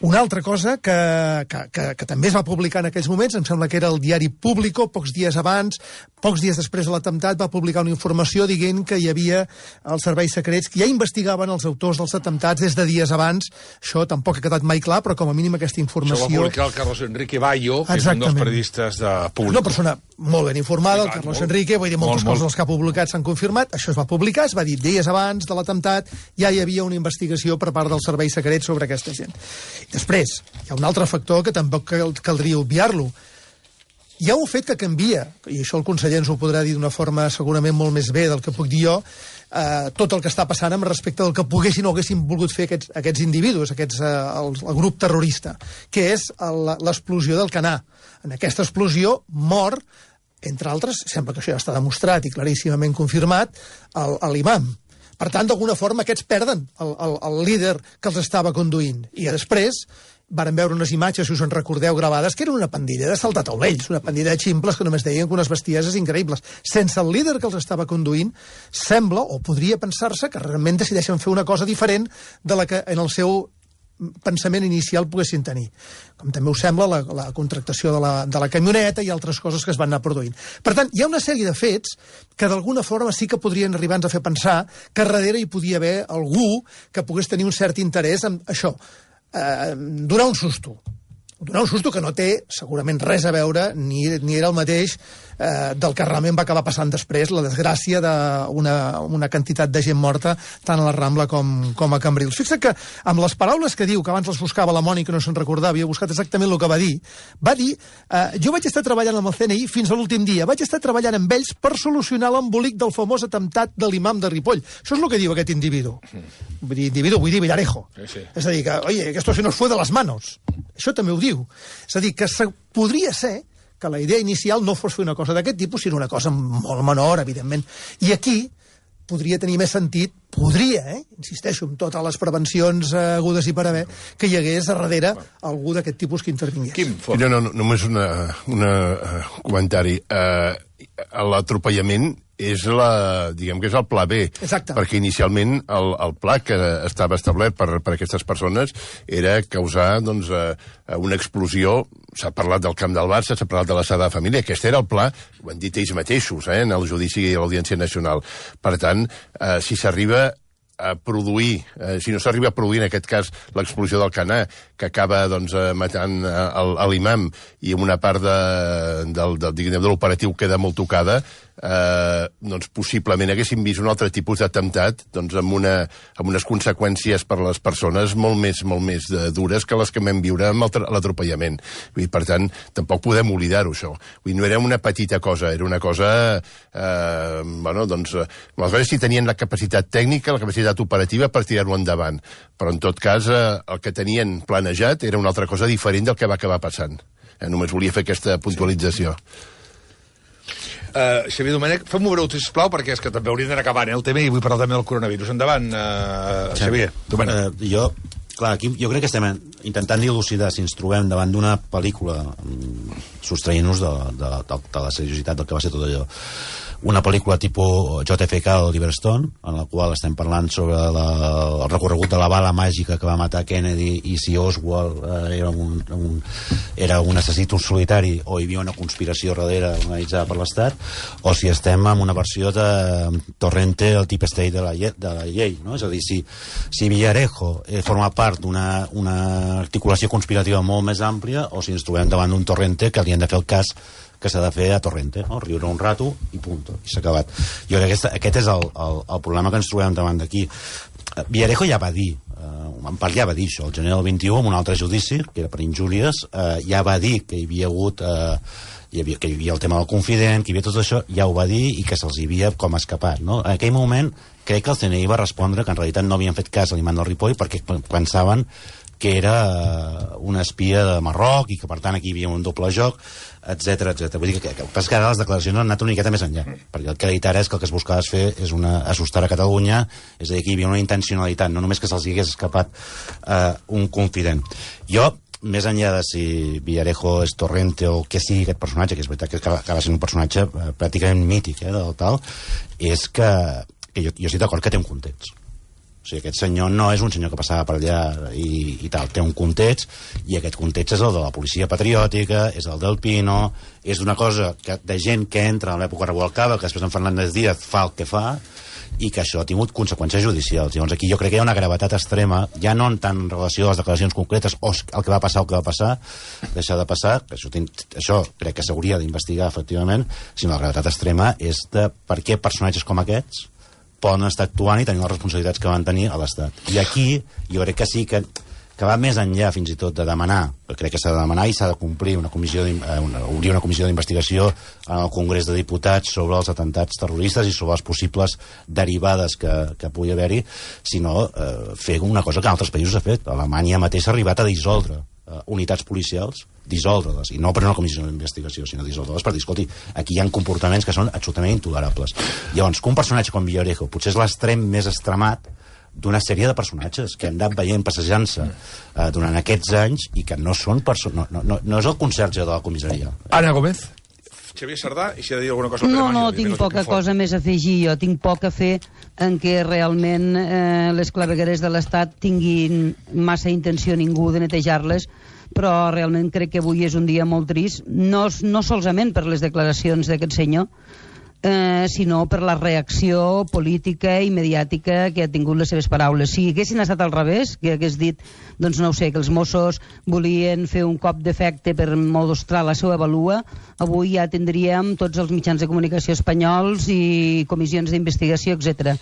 [SPEAKER 7] Una altra cosa que, que, que, que també es va publicar en aquells moments, em sembla que era el diari Público, pocs dies abans, pocs dies després de l'atemptat, va publicar una informació dient que hi havia els serveis secrets que ja investigaven els autors dels atemptats des de dies abans. Això tampoc ha quedat mai clar, però com a mínim aquesta informació...
[SPEAKER 3] Això va publicar el Carlos Enrique Bayo, que
[SPEAKER 7] Exactament.
[SPEAKER 3] és un dels periodistes de Público.
[SPEAKER 7] Una persona molt ben informada,
[SPEAKER 3] Sí,
[SPEAKER 7] el
[SPEAKER 3] clar,
[SPEAKER 7] Carlos
[SPEAKER 3] molt,
[SPEAKER 7] Enrique, vull dir, moltes
[SPEAKER 3] molt,
[SPEAKER 7] coses
[SPEAKER 3] molt.
[SPEAKER 7] els que ha publicat s'han confirmat, això es va publicar, es va dir dies abans de l'atemptat, ja hi havia una investigació per part dels serveis secrets sobre aquesta gent. Després, hi ha un altre factor que tampoc cal, caldria obviar-lo. Hi ha un fet que canvia, i això el conseller ens ho podrà dir d'una forma segurament molt més bé del que puc dir jo, eh, tot el que està passant amb respecte del que poguessin o haguessin volgut fer aquests, aquests individus, aquests, eh, el, el grup terrorista, que és el- l'explosió del Canà. En aquesta explosió mor, entre altres, sembla que això ja està demostrat i claríssimament confirmat, el- l'imam. Per tant, d'alguna forma, aquests perden el, el, el líder que els estava conduint. I després varen veure unes imatges, si us en recordeu, gravades, que eren una pandilla de saltataulells, una pandilla de ximples que només deien que unes bestieses increïbles. Sense el líder que els estava conduint, sembla, o podria pensar-se, que realment decideixen fer una cosa diferent de la que en el seu pensament inicial poguessin tenir. Com també us sembla la, la contractació de la, de la camioneta i altres coses que es van anar produint. Per tant, hi ha una sèrie de fets que d'alguna forma sí que podrien arribar-nos a fer pensar que darrere hi podia haver algú que pogués tenir un cert interès en això, eh, donar un susto. Donar un susto que no té segurament res a veure, ni, ni era el mateix eh, del que realment va acabar passant després, la desgràcia d'una una quantitat de gent morta tant a la Rambla com, com a Cambrils. Fixa't que amb les paraules que diu, que abans les buscava la Mònica, no se'n recordava, havia buscat exactament el que va dir, va dir, eh, jo vaig estar treballant amb el C N I fins a l'últim dia, vaig estar treballant amb ells per solucionar l'embolic del famós atemptat de l'imam de Ripoll. Això és el que diu aquest individu. Vull dir, individu, vull dir Villarejo.
[SPEAKER 3] Sí, sí.
[SPEAKER 7] És a dir, que, oye, que esto se nos fue de las manos. Això també ho diu. És a dir, que se, podria ser que la idea inicial no fos fer una cosa d'aquest tipus, sinó una cosa molt menor, evidentment. I aquí podria tenir més sentit, podria, eh? insisteixo, amb totes les prevencions eh, agudes i per haver, que hi hagués a darrere algú d'aquest tipus que intervingués.
[SPEAKER 3] Quim, fort.
[SPEAKER 4] No, no, no, només un una, uh, comentari. Uh, L'atropellament és la, diguem que és el pla B.
[SPEAKER 7] Exacte.
[SPEAKER 4] Perquè inicialment el, el pla que estava establert per, per aquestes persones era causar doncs, uh, una explosió. S'ha parlat del camp del Barça, s'ha parlat de la Sagrada Família. Aquest era el pla, ho han dit ells mateixos, eh, en el judici i l'Audiència Nacional. Per tant, uh, si s'arriba a produir, eh, si no s'arriba a produir en aquest cas l'explosió del Canà, que acaba doncs, eh, matant eh, l'imam i una part de, del, del, de l'operatiu queda molt tocada, eh, doncs possiblement haguéssim vist un altre tipus d'atemptat doncs amb, una, amb unes conseqüències per a les persones molt més, molt més de, dures que les que vam viure amb l'atropellament. Per tant, tampoc podem oblidar-ho, això. Vull dir, no era una petita cosa, era una cosa... Eh, bueno, doncs, aleshores si tenien la capacitat tècnica, la capacitat operativa per tirar-ho endavant. Però, en tot cas, eh, el que tenien planejat era una altra cosa diferent del que va acabar passant. Eh, només volia fer aquesta puntualització.
[SPEAKER 3] Uh, Xavier Domènech, fem-ho breu, sisplau, perquè és que també hauríem d'anar acabant, eh, el tema, i vull parlar també del coronavirus. Endavant, uh, Xavier Domènech.
[SPEAKER 8] Uh, jo, clar, aquí jo crec que estem intentant dilucidar si ens trobem davant d'una pel·lícula um, sostraient-nos de, de, de, de la seriositat del que va ser tot allò. Una pel·lícula tipus J F K, Oliver Stone, en la qual estem parlant sobre la, el recorregut de la bala màgica que va matar Kennedy i si Oswald eh, era, un, un, era un assassí solitari o hi havia una conspiració darrere organitzada per l'Estat, o si estem en una versió de Torrente, el Deep State de la, de la llei, no? És a dir, si, si Villarejo eh, forma part d'una una articulació conspirativa molt més àmplia, o si ens trobem davant d'un Torrente que li han de fer el cas que s'ha de fer a Torrente, no? Riure un rato i punt, i s'ha acabat. Jo crec que aquest, aquest és el, el, el problema que ens trobem davant d'aquí. Villarejo ja va dir, eh, en part ja va dir això, el gener del vint-i-u, en un altre judici, que era per injúries, eh, ja va dir que hi havia hagut... Eh, hi havia, que hi havia el tema del confident, que hi havia tot això, ja ho va dir i que se'ls havia com escapat, no? En aquell moment crec que el C N I va respondre que en realitat no havien fet cas a l'imant del Ripoll perquè pensaven que era una espia de Marroc i que per tant aquí hi havia un doble joc, etc etc. Vull dir que, que, que ara les declaracions han anat una miqueta més enllà, perquè el que ha dit ara és que el que es buscava fer és una, assustar a Catalunya, és a dir, que hi havia una intencionalitat, no només que se'ls hagués escapat eh, un confident. Jo, més enllà de si Villarejo és Torrente o què sigui aquest personatge, que és veritat que acaba sent un personatge eh, pràcticament mític, eh, del tal, és que, que jo, jo estic d'acord que té un context. O sigui, aquest senyor no és un senyor que passava per allà i, i tal, té un context, i aquest context és el de la policia patriòtica, és el del Pino, és una cosa que, de gent que entra en l'època Revuelcaba, que després en Fernández Díaz fa el que fa, i que això ha tingut conseqüències judicials. Llavors aquí jo crec que hi ha una gravetat extrema, ja no en tant en relació a les declaracions concretes o el que va passar o el que va passar, deixar de passar, que això, això crec que s'hauria d'investigar efectivament, sinó la gravetat extrema és de per què personatges com aquests poden estar actuant i tenir les responsabilitats que van tenir a l'Estat. I aquí jo crec que sí que, que va més enllà fins i tot de demanar, crec que s'ha de demanar i s'ha de complir una comissió, una, obrir una comissió d'investigació en el Congrés de Diputats sobre els atentats terroristes i sobre les possibles derivades que, que pugui haver-hi, sinó eh, fer una cosa que en altres països ha fet. Alemanya mateix ha arribat a dissoldre eh, unitats policials, dissoldre-les, i no per una comissió d'investigació, sinó dissoldre-les per dir, escolti, aquí hi ha comportaments que són absolutament intolerables. Llavors, que un personatge com Villarejo potser és l'extrem més extremat d'una sèrie de personatges que hem anat veient passejant-se eh, durant aquests anys i que no són perso- no, no, no, no és el conserge de la comissaria.
[SPEAKER 3] Ana Gómez. Xavier Sardà, i si ha de dir alguna cosa...
[SPEAKER 9] No, no, tinc poca cosa més a afegir. Jo tinc poc a fer en què realment eh, les clavegueres de l'Estat tinguin massa intenció ningú de netejar-les, però realment crec que avui és un dia molt trist, no, no solament per les declaracions d'aquest senyor, eh, sinó per la reacció política i mediàtica que ha tingut les seves paraules. Si haguessin estat al revés, que hagués dit, doncs no ho sé, que els Mossos volien fer un cop d'efecte per mostrar la seva valua, avui ja tindríem tots els mitjans de comunicació espanyols i comissions d'investigació, etcètera.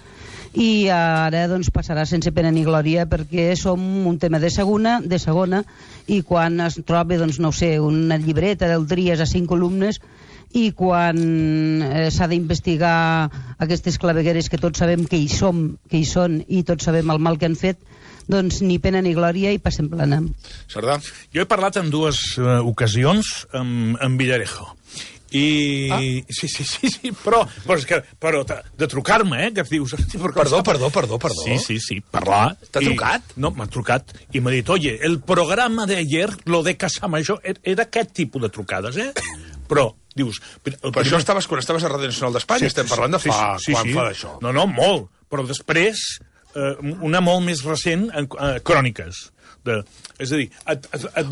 [SPEAKER 9] I ara doncs passarà sense pena ni glòria perquè som un tema de segona, de segona i quan es troba, doncs no ho sé, una llibreta del Tries a cinc columnes i quan eh, s'ha d'investigar aquestes clavegueres que tots sabem que hi som, que hi són i tots sabem el mal que han fet, doncs ni pena ni glòria i passem plana.
[SPEAKER 3] Sardà?
[SPEAKER 6] Jo he parlat en dues uh, ocasions amb, amb Villarejo. I... Ah. Sí, sí, sí, sí, però, però, és que, però de, de trucar-me, eh, que dius...
[SPEAKER 3] Perdó, perdó, perdó, perdó.
[SPEAKER 6] Sí, sí, sí, parlar...
[SPEAKER 3] T'ha trucat?
[SPEAKER 6] No, m'ha trucat i m'ha dit, oye, el programa de ayer, lo de Casamayor, era aquest tipus de trucades, eh? Però, dius...
[SPEAKER 3] Però primer... això estaves quan estaves a Ràdio Nacional d'Espanya, sí, estem parlant de fa... Sí, sí, quan sí. Fa d'això?
[SPEAKER 6] No, no, molt, però després, eh, una molt més recent, en eh, Cròniques. De, és a dir, et, et, et, et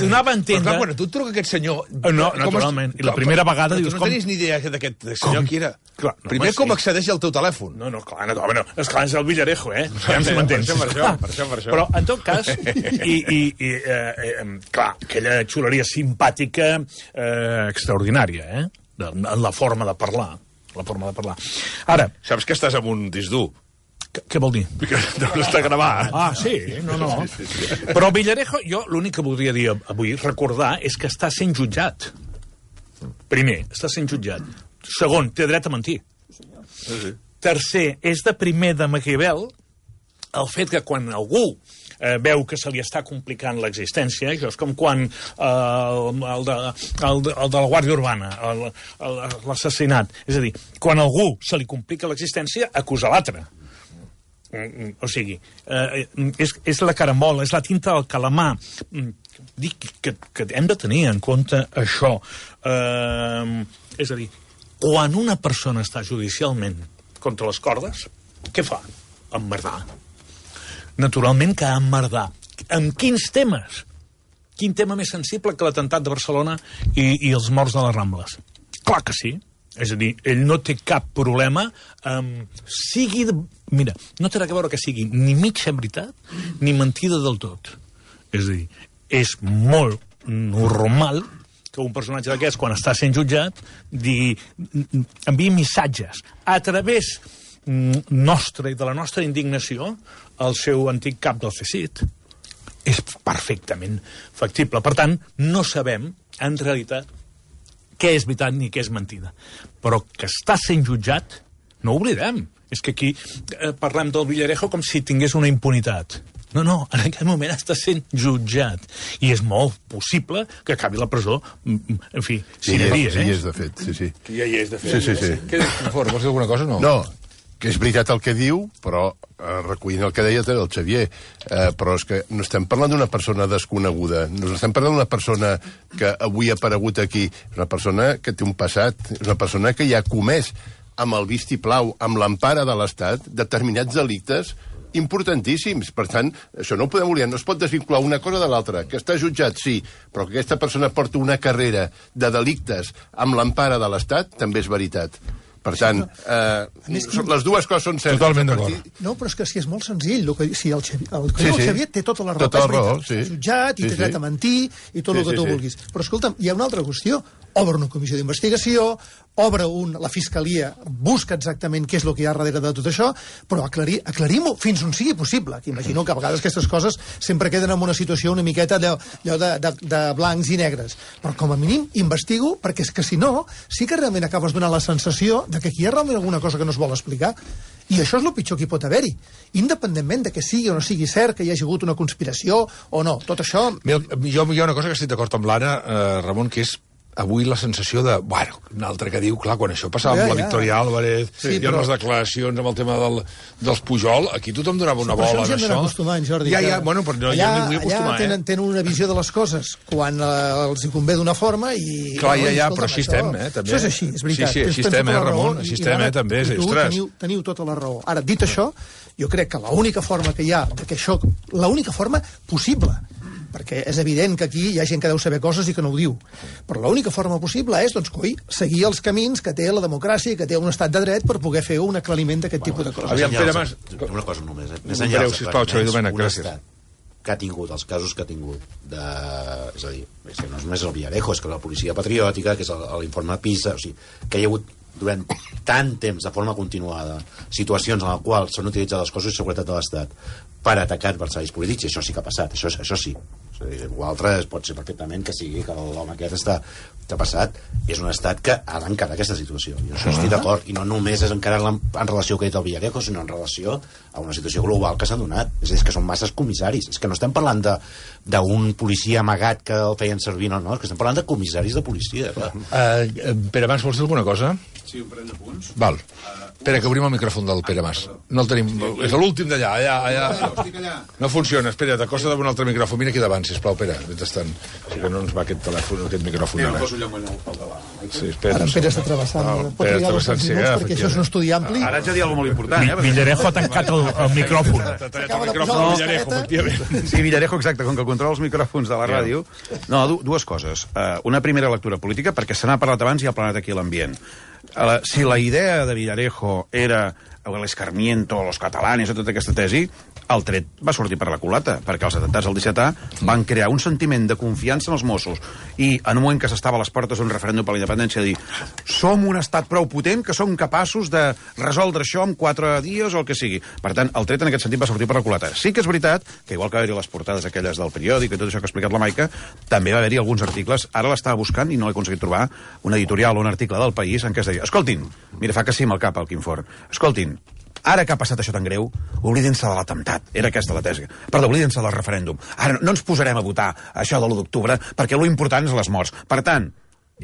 [SPEAKER 6] donava a entendre...
[SPEAKER 3] Però clar, quan tu et truca aquest senyor...
[SPEAKER 6] No, naturalment. I la primera vegada
[SPEAKER 3] dius...
[SPEAKER 6] Tu
[SPEAKER 3] no tenies ni idea d'aquest senyor qui era.
[SPEAKER 6] Clar, no,
[SPEAKER 3] primer, com
[SPEAKER 6] sí.
[SPEAKER 3] accedeix al teu telèfon?
[SPEAKER 6] No, no, clar, no, no, esclar, és el Villarejo, eh? Ja em m'entens.
[SPEAKER 3] Per això, per això, per això.
[SPEAKER 6] Però, en tot cas, i, i, i eh, eh, clar, aquella xuleria simpàtica eh, extraordinària, eh? De, en la forma de parlar. la forma de parlar. Ara...
[SPEAKER 3] Saps que estàs amb un disc dur?
[SPEAKER 6] Què vol dir?
[SPEAKER 3] Que no està gravat.
[SPEAKER 6] Ah, sí, no, no. Sí, sí, sí. Però Villarejo, jo l'únic que voldria dir avui, recordar, és que està sent jutjat. Primer, està sent jutjat. Segon, té dret a mentir. Sí, sí. Tercer, és de primer de Maquiavel el fet que quan algú eh, veu que se li està complicant l'existència, això és com quan eh, el, el, de, el, de, el de la Guàrdia Urbana, l'assassinat. És a dir, quan algú se li complica l'existència, acusa l'altre. O sigui, eh, és, és la carambola, és la tinta del calamar. Dic que, que hem de tenir en compte això. Eh, és a dir, quan una persona està judicialment contra les cordes, què fa? Emmerdar. Naturalment que emmerdar. Amb quins temes? Quin tema més sensible que l'atemptat de Barcelona i, i els morts de les Rambles? Clar que sí. És a dir, ell no té cap problema amb... sigui... De... Mira, no té res a veure que sigui ni mitja veritat ni mentida del tot. És a dir, és molt normal que un personatge d'aquests, quan està sent jutjat, digui, enviï missatges a través nostra i de la nostra indignació al seu antic cap del C S I T. És perfectament factible. Per tant, no sabem, en realitat, què és veritat ni què és mentida. Però que està sent jutjat, no ho oblidem. És que aquí eh, parlem del Villarejo com si tingués una impunitat. No, no, en aquest moment està sent jutjat. I és molt possible que acabi la presó, en fi, si hi havia,
[SPEAKER 4] eh?
[SPEAKER 6] Sí,
[SPEAKER 4] és de fet, sí, sí.
[SPEAKER 3] Que ja hi és de fet.
[SPEAKER 4] Sí, sí, sí.
[SPEAKER 3] Què, vols dir alguna cosa o no?
[SPEAKER 4] No, que és veritat el que diu, però eh, recollint el que deia el Xavier, eh, però és que no estem parlant d'una persona desconeguda, no estem parlant d'una persona que avui ha aparegut aquí, és una persona que té un passat, és una persona que ja ha comès amb el vistiplau, amb l'empara de l'Estat, determinats delictes importantíssims. Per tant, això no ho podem oblidar, no es pot desvincular una cosa de l'altra. Que està jutjat, sí, però que aquesta persona porta una carrera de delictes amb l'empara de l'Estat, també és veritat. Per tant, eh, més, les dues coses són certes.
[SPEAKER 3] Totalment d'acord.
[SPEAKER 7] No, però és que si és molt senzill. El que, si el Xavier, el,
[SPEAKER 4] sí,
[SPEAKER 7] el
[SPEAKER 4] sí.
[SPEAKER 7] Xavier té tota la raó.
[SPEAKER 4] Tota la raó, sí.
[SPEAKER 7] Jutjat i
[SPEAKER 4] sí,
[SPEAKER 7] té dret
[SPEAKER 4] sí.
[SPEAKER 7] a mentir i tot
[SPEAKER 4] sí,
[SPEAKER 7] el que
[SPEAKER 4] sí,
[SPEAKER 7] tu
[SPEAKER 4] sí.
[SPEAKER 7] vulguis. Però escolta'm, hi ha una altra qüestió. Obre una comissió d'investigació, obre un, la Fiscalia busca exactament què és el que hi ha darrere de tot això, però aclarir, aclarim-ho fins on sigui possible. Que imagino que a vegades aquestes coses sempre queden en una situació una miqueta allò, allò de, de, de blancs i negres. Però com a mínim investigo, perquè és que si no, sí que realment acabes donant la sensació de que aquí hi ha realment alguna cosa que no es vol explicar. I això és el pitjor que hi pot haver-hi. Independentment de que sigui o no sigui cert, que hi hagi hagut una conspiració o no. Tot això...
[SPEAKER 3] Mira, jo hi ha una cosa que estic d'acord amb l'Anna, eh, Ramon, que és avui la sensació de... Bueno, un altre que diu, clar, quan això passava
[SPEAKER 7] ja,
[SPEAKER 3] amb la
[SPEAKER 7] ja.
[SPEAKER 3] Victòria Álvarez sí, i amb però... les declaracions amb el tema del, dels Pujol, aquí tothom donava una
[SPEAKER 7] sí,
[SPEAKER 3] bola
[SPEAKER 7] en
[SPEAKER 3] això.
[SPEAKER 7] Això acostumant, Jordi.
[SPEAKER 3] Ja, ja, bueno, però no,
[SPEAKER 7] allà,
[SPEAKER 3] jo m'hi vull acostumar,
[SPEAKER 7] allà tenen,
[SPEAKER 3] eh?
[SPEAKER 7] tenen una visió de les coses quan eh, els hi convé d'una forma i...
[SPEAKER 3] Clar, ja, ja,
[SPEAKER 7] escolta'm,
[SPEAKER 3] però així estem, eh, també.
[SPEAKER 7] Això és així, és veritat.
[SPEAKER 3] Sí, sí, així estem, eh, Ramon, així estem, eh, també,
[SPEAKER 7] i tu
[SPEAKER 3] ostres.
[SPEAKER 7] teniu, teniu tota la raó. Ara, dit això, jo crec que l'única forma que hi ha, que això, l'única forma possible, perquè és evident que aquí hi ha gent que deu saber coses i que no ho diu. Però l'única forma possible és, doncs, coi, seguir els camins que té la democràcia, que té un estat de dret per poder fer un aclariment d'aquest bueno, tipus de coses.
[SPEAKER 3] Aviam, Pere Mas...
[SPEAKER 8] Una cosa només, eh?
[SPEAKER 3] Més enllà dels aclariments,
[SPEAKER 8] un estat que ha tingut, els casos que ha tingut, de, és a dir, és que no és només el Villarejo, és que la policia patriòtica, que és l'informe PISA, o sigui, que hi ha hagut durant tant temps, de forma continuada, situacions en les quals s'han utilitzat els cossos de seguretat de l'Estat per atacar adversaris polítics, i això sí que ha passat, això, això sí. O altre pot ser perfectament que sigui que l'home aquest està, està passat. És un estat que ha d'encarar aquesta situació. I això estic d'acord. I no només és encarar-la en relació que ha dit el Villarejo, sinó en relació a una situació global que s'ha donat. És a dir, és que són masses comissaris. És que no estem parlant d'un policia amagat que el feien servir, no, no. És que estem parlant de comissaris de policia.
[SPEAKER 3] Uh, Pere Mas, vols dir alguna cosa?
[SPEAKER 10] Sí, un parell de punts.
[SPEAKER 3] Val. Espera, que obrim el micròfon del Pere Mas. No el tenim... És l'últim d'allà, allà, allà. No funciona, espera, t'acosta d'un altre micròfon. Vine aquí davant, sisplau, Pere. Mentrestant, sí que no ens va aquest telèfon, aquest micròfon ara. Sí, espera.
[SPEAKER 7] Ara en Pere està travessant.
[SPEAKER 3] No, Pere està travessant, sí,
[SPEAKER 7] perquè això és un estudi ampli.
[SPEAKER 10] Ara haig de dir alguna molt important, eh?
[SPEAKER 6] Villarejo ha tancat el, el micròfon.
[SPEAKER 3] T'ha tallat el micròfon de Villarejo, efectivament.
[SPEAKER 10] Sí, Villarejo, exacte, com que controla els micròfons de la ràdio. No, dues coses. Una primera lectura política, perquè se n'ha parlat abans i ha planat aquí l'ambient. Si la idea de Villarejo era l'escarmiento, los catalanes, tota aquesta tesi, el tret va sortir per la culata, perquè els atemptats del disset A van crear un sentiment de confiança en els Mossos, i en un moment que s'estava a les portes d'un referèndum per la independència, dir, som un estat prou potent que som capaços de resoldre això en quatre dies o el que sigui. Per tant, el tret en aquest sentit va sortir per la culata. Sí que és veritat que, igual que va haver-hi les portades aquelles del periòdic i tot això que ha explicat la Maica, també va haver-hi alguns articles, ara l'estava buscant i no l'he aconseguit trobar, un editorial o un article del País en què es deia, escoltin, mira, fa que sí amb el cap el Quim Forn, escoltin, ara que ha passat això tan greu, oblidin-se de l'atemptat. Era aquesta la tesi. Perdó, oblidin-se del referèndum. Ara no ens posarem a votar això de l'u d'octubre perquè lo important és les morts. Per tant,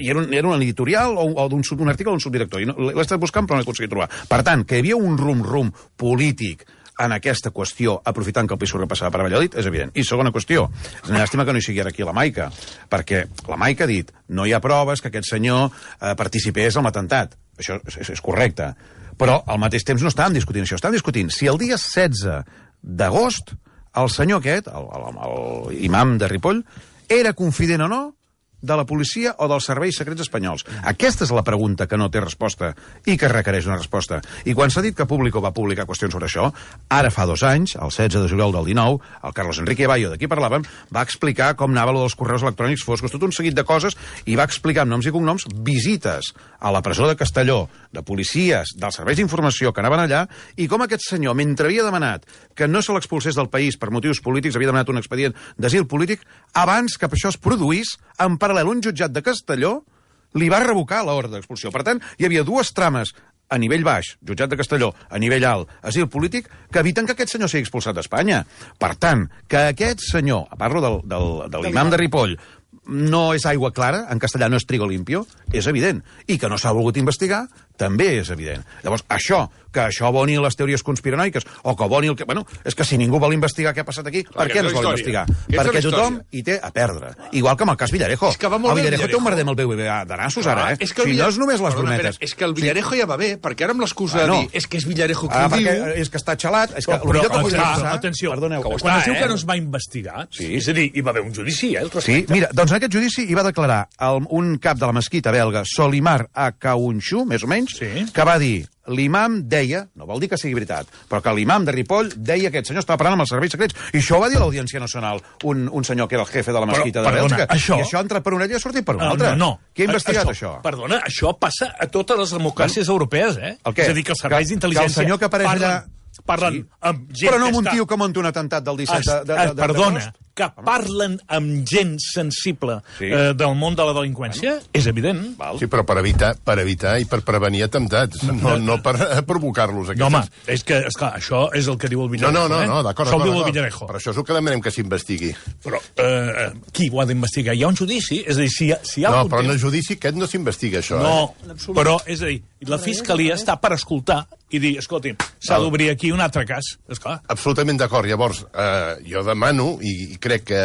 [SPEAKER 10] i era un, era un editorial o, o d'un, un article d'un subdirector, i no, l'he estat buscant però no l'he aconseguit trobar. Per tant, que hi havia un rum-rum polític en aquesta qüestió, aprofitant que el P S O E passava per Valladolid, és evident. I segona qüestió, és una llàstima que no hi sigui ara aquí la Maica, perquè la Maica ha dit, no hi ha proves que aquest senyor eh, participés en l'atemptat. Això és, és, és correcte. Però al mateix temps no estàvem discutint això, estàvem discutint si el dia setze d'agost el senyor aquest, el, el, el imam de Ripoll, era confident o no de la policia o dels serveis secrets espanyols. Aquesta és la pregunta que no té resposta i que requereix una resposta. I quan s'ha dit que Público va publicar qüestions sobre això, ara fa dos anys, el setze de juliol del dinou, el Carlos Enrique Bayo, de qui parlàvem, va explicar com anava lo dels correus electrònics foscos, tot un seguit de coses, i va explicar amb noms i cognoms visites a la presó de Castelló, de policies, dels serveis d'informació que anaven allà, i com aquest senyor, mentre havia demanat que no se l'expulsés del país per motius polítics, havia demanat un expedient d'asil polític, abans que això es produís, en paral·lel un jutjat de Castelló li va revocar l'ordre d'expulsió. Per tant, hi havia dues trames a nivell baix, jutjat de Castelló, a nivell alt, asil polític, que eviten que aquest senyor sigui expulsat d'Espanya. Per tant, que aquest senyor, parlo del, del, de l'imam de Ripoll, no és aigua clara, en castellà no és trigo limpio, és evident. I que no s'ha volgut investigar, també és evident. Llavors, això, que això aboni les teories conspiranoiques, o que aboni el que... Bueno, és que si ningú vol investigar què ha passat aquí, clar, per què no es vol investigar? Perquè tothom hi té a perdre. Igual que amb el cas Villarejo.
[SPEAKER 3] És que va molt
[SPEAKER 10] el Villarejo
[SPEAKER 3] bé,
[SPEAKER 10] té un merder amb el B B V A de nassos, ara, eh?
[SPEAKER 3] És que
[SPEAKER 10] si
[SPEAKER 3] Villar...
[SPEAKER 10] no és només les
[SPEAKER 3] Perdona,
[SPEAKER 10] brometes.
[SPEAKER 3] Pere, és que el Villarejo sí. ja va bé, perquè ara amb l'excusa ah, no. de dir és que és Villarejo qui
[SPEAKER 10] ah,
[SPEAKER 3] ho diu...
[SPEAKER 10] És que està xalat. És que
[SPEAKER 6] però, però,
[SPEAKER 10] que
[SPEAKER 6] però
[SPEAKER 10] passar,
[SPEAKER 6] atenció,
[SPEAKER 10] perdoneu,
[SPEAKER 6] que
[SPEAKER 10] està,
[SPEAKER 6] quan es diu
[SPEAKER 10] eh?
[SPEAKER 6] que no es va investigar, sí. és a dir, hi va haver un judici, eh?
[SPEAKER 10] Sí, mira, doncs en aquest judici hi va declarar el, un cap de la mesquita belga, Solimar Akaunxu, més o menys, sí. que va dir l'imam deia, no vol dir que sigui veritat, però que l'imam de Ripoll deia que aquest senyor estava parlant amb els serveis secrets, i això ho va dir l'Audiència Nacional, un, un senyor que era el jefe de la mesquita
[SPEAKER 6] però,
[SPEAKER 10] de Bèlgica,
[SPEAKER 6] això...
[SPEAKER 10] i això ha entrat per una orella i ha sortit per una
[SPEAKER 6] uh,
[SPEAKER 10] altra.
[SPEAKER 6] No, no.
[SPEAKER 10] Qui ha investigat
[SPEAKER 6] això,
[SPEAKER 10] això?
[SPEAKER 6] Perdona, això passa a totes les democràcies bueno, europees, eh?
[SPEAKER 10] El què?
[SPEAKER 6] És a dir, que els serveis d'intel·ligència...
[SPEAKER 10] Que el senyor que apareix
[SPEAKER 6] parlen,
[SPEAKER 10] allà...
[SPEAKER 6] Parlen
[SPEAKER 10] sí.
[SPEAKER 6] amb gent
[SPEAKER 10] però no
[SPEAKER 6] que
[SPEAKER 10] amb un
[SPEAKER 6] està...
[SPEAKER 10] tio que munta un atemptat del disset de, de, de, de,
[SPEAKER 6] Perdona, que parlen amb gent sensible sí. eh, del món de la delinqüència, bueno. és evident.
[SPEAKER 4] Val. Sí, però per evitar, per evitar i per prevenir atemptats, no, no per provocar-los.
[SPEAKER 6] No, home, és que, esclar, això és el que diu el Villarejo.
[SPEAKER 4] No, no, no, no d'acord,
[SPEAKER 6] això
[SPEAKER 4] d'acord,
[SPEAKER 6] diu el Villarejo.
[SPEAKER 4] Però això és el que demanem que s'investigui.
[SPEAKER 6] Però eh, qui ho ha d'investigar? Hi ha un judici? És a dir, si hi ha, si hi ha
[SPEAKER 4] no,
[SPEAKER 6] algun
[SPEAKER 4] però en
[SPEAKER 6] temps...
[SPEAKER 4] el judici aquest no s'investiga, això.
[SPEAKER 6] No,
[SPEAKER 4] eh?
[SPEAKER 6] però, és a dir, la Fiscalia està per escoltar i dir, escolti'm, s'ha d'obrir aquí un altre cas. Esclar.
[SPEAKER 4] Absolutament d'acord. Llavors, eh, jo demano, i, i crec que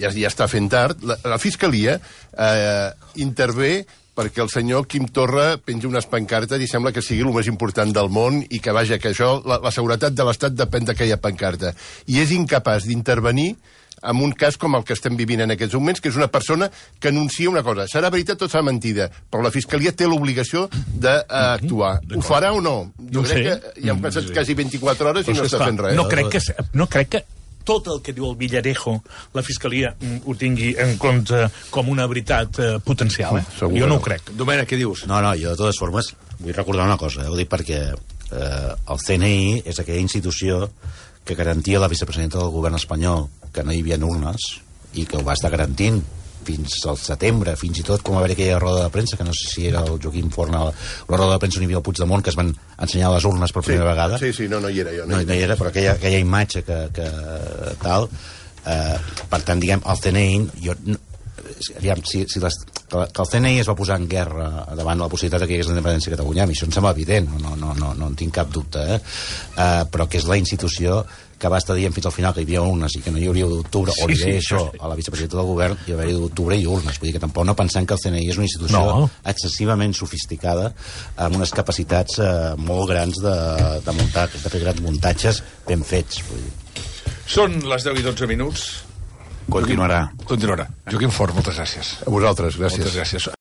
[SPEAKER 4] ja, ja està fent tard, la, la Fiscalia eh, intervé perquè el senyor Quim Torra penja unes pancartes i sembla que sigui el més important del món i que, vaja, que això, la, la seguretat de l'Estat depèn d'aquella pancarta. I és incapaç d'intervenir en un cas com el que estem vivint en aquests moments, que és una persona que anuncia una cosa. Serà veritat o serà mentida, però la Fiscalia té l'obligació d'actuar. Ho farà o no? Jo
[SPEAKER 6] no
[SPEAKER 4] crec
[SPEAKER 6] sé.
[SPEAKER 4] que ja han passat quasi vint-i-quatre hores i no està fent res.
[SPEAKER 6] No crec que... No crec que tot el que diu el Villarejo, la Fiscalia ho tingui en compte com una veritat eh, potencial. Eh?
[SPEAKER 3] Segur
[SPEAKER 6] jo no
[SPEAKER 3] no.
[SPEAKER 6] ho crec.
[SPEAKER 3] Domènec, què dius?
[SPEAKER 8] No, no, jo de totes formes vull recordar una cosa, eh? Ho dic perquè eh, el C N I és aquella institució que garantia la vicepresidenta del govern espanyol que no hi havia urnes i que ho va estar garantint fins al setembre, fins i tot com va haver aquella roda de premsa, que no sé si era el Joaquim Forn, la roda de premsa on hi havia el Puigdemont, que es van ensenyar les urnes per primera
[SPEAKER 4] sí,
[SPEAKER 8] vegada.
[SPEAKER 4] Sí, sí, no, no hi era jo.
[SPEAKER 8] No, no hi era, però aquella, aquella imatge que, que tal... Eh, per tant, diguem, el C N I... Jo, no, aviam, si, si les, que el C N I es va posar en guerra davant la possibilitat que hi hagués la independència de Catalunya, a mi això em sembla evident, no, no, no, no en tinc cap dubte, eh? Uh, però que és la institució que va estar dient fins al final que hi havia urnes i que no hi hauria d'octubre, sí, o li deia sí, això sí. a la vicepresidenta del govern, hi hauria d'octubre i urnes. Vull dir que tampoc no pensem que el C N I és una institució no. excessivament sofisticada, amb unes capacitats eh, molt grans de, de muntar, de fer grans muntatges ben fets. Vull dir.
[SPEAKER 3] Són les deu i dotze minuts.
[SPEAKER 10] Continuarà.
[SPEAKER 3] Continuarà. Joaquim Forn, moltes gràcies.
[SPEAKER 4] A vosaltres, gràcies.
[SPEAKER 3] Moltes gràcies.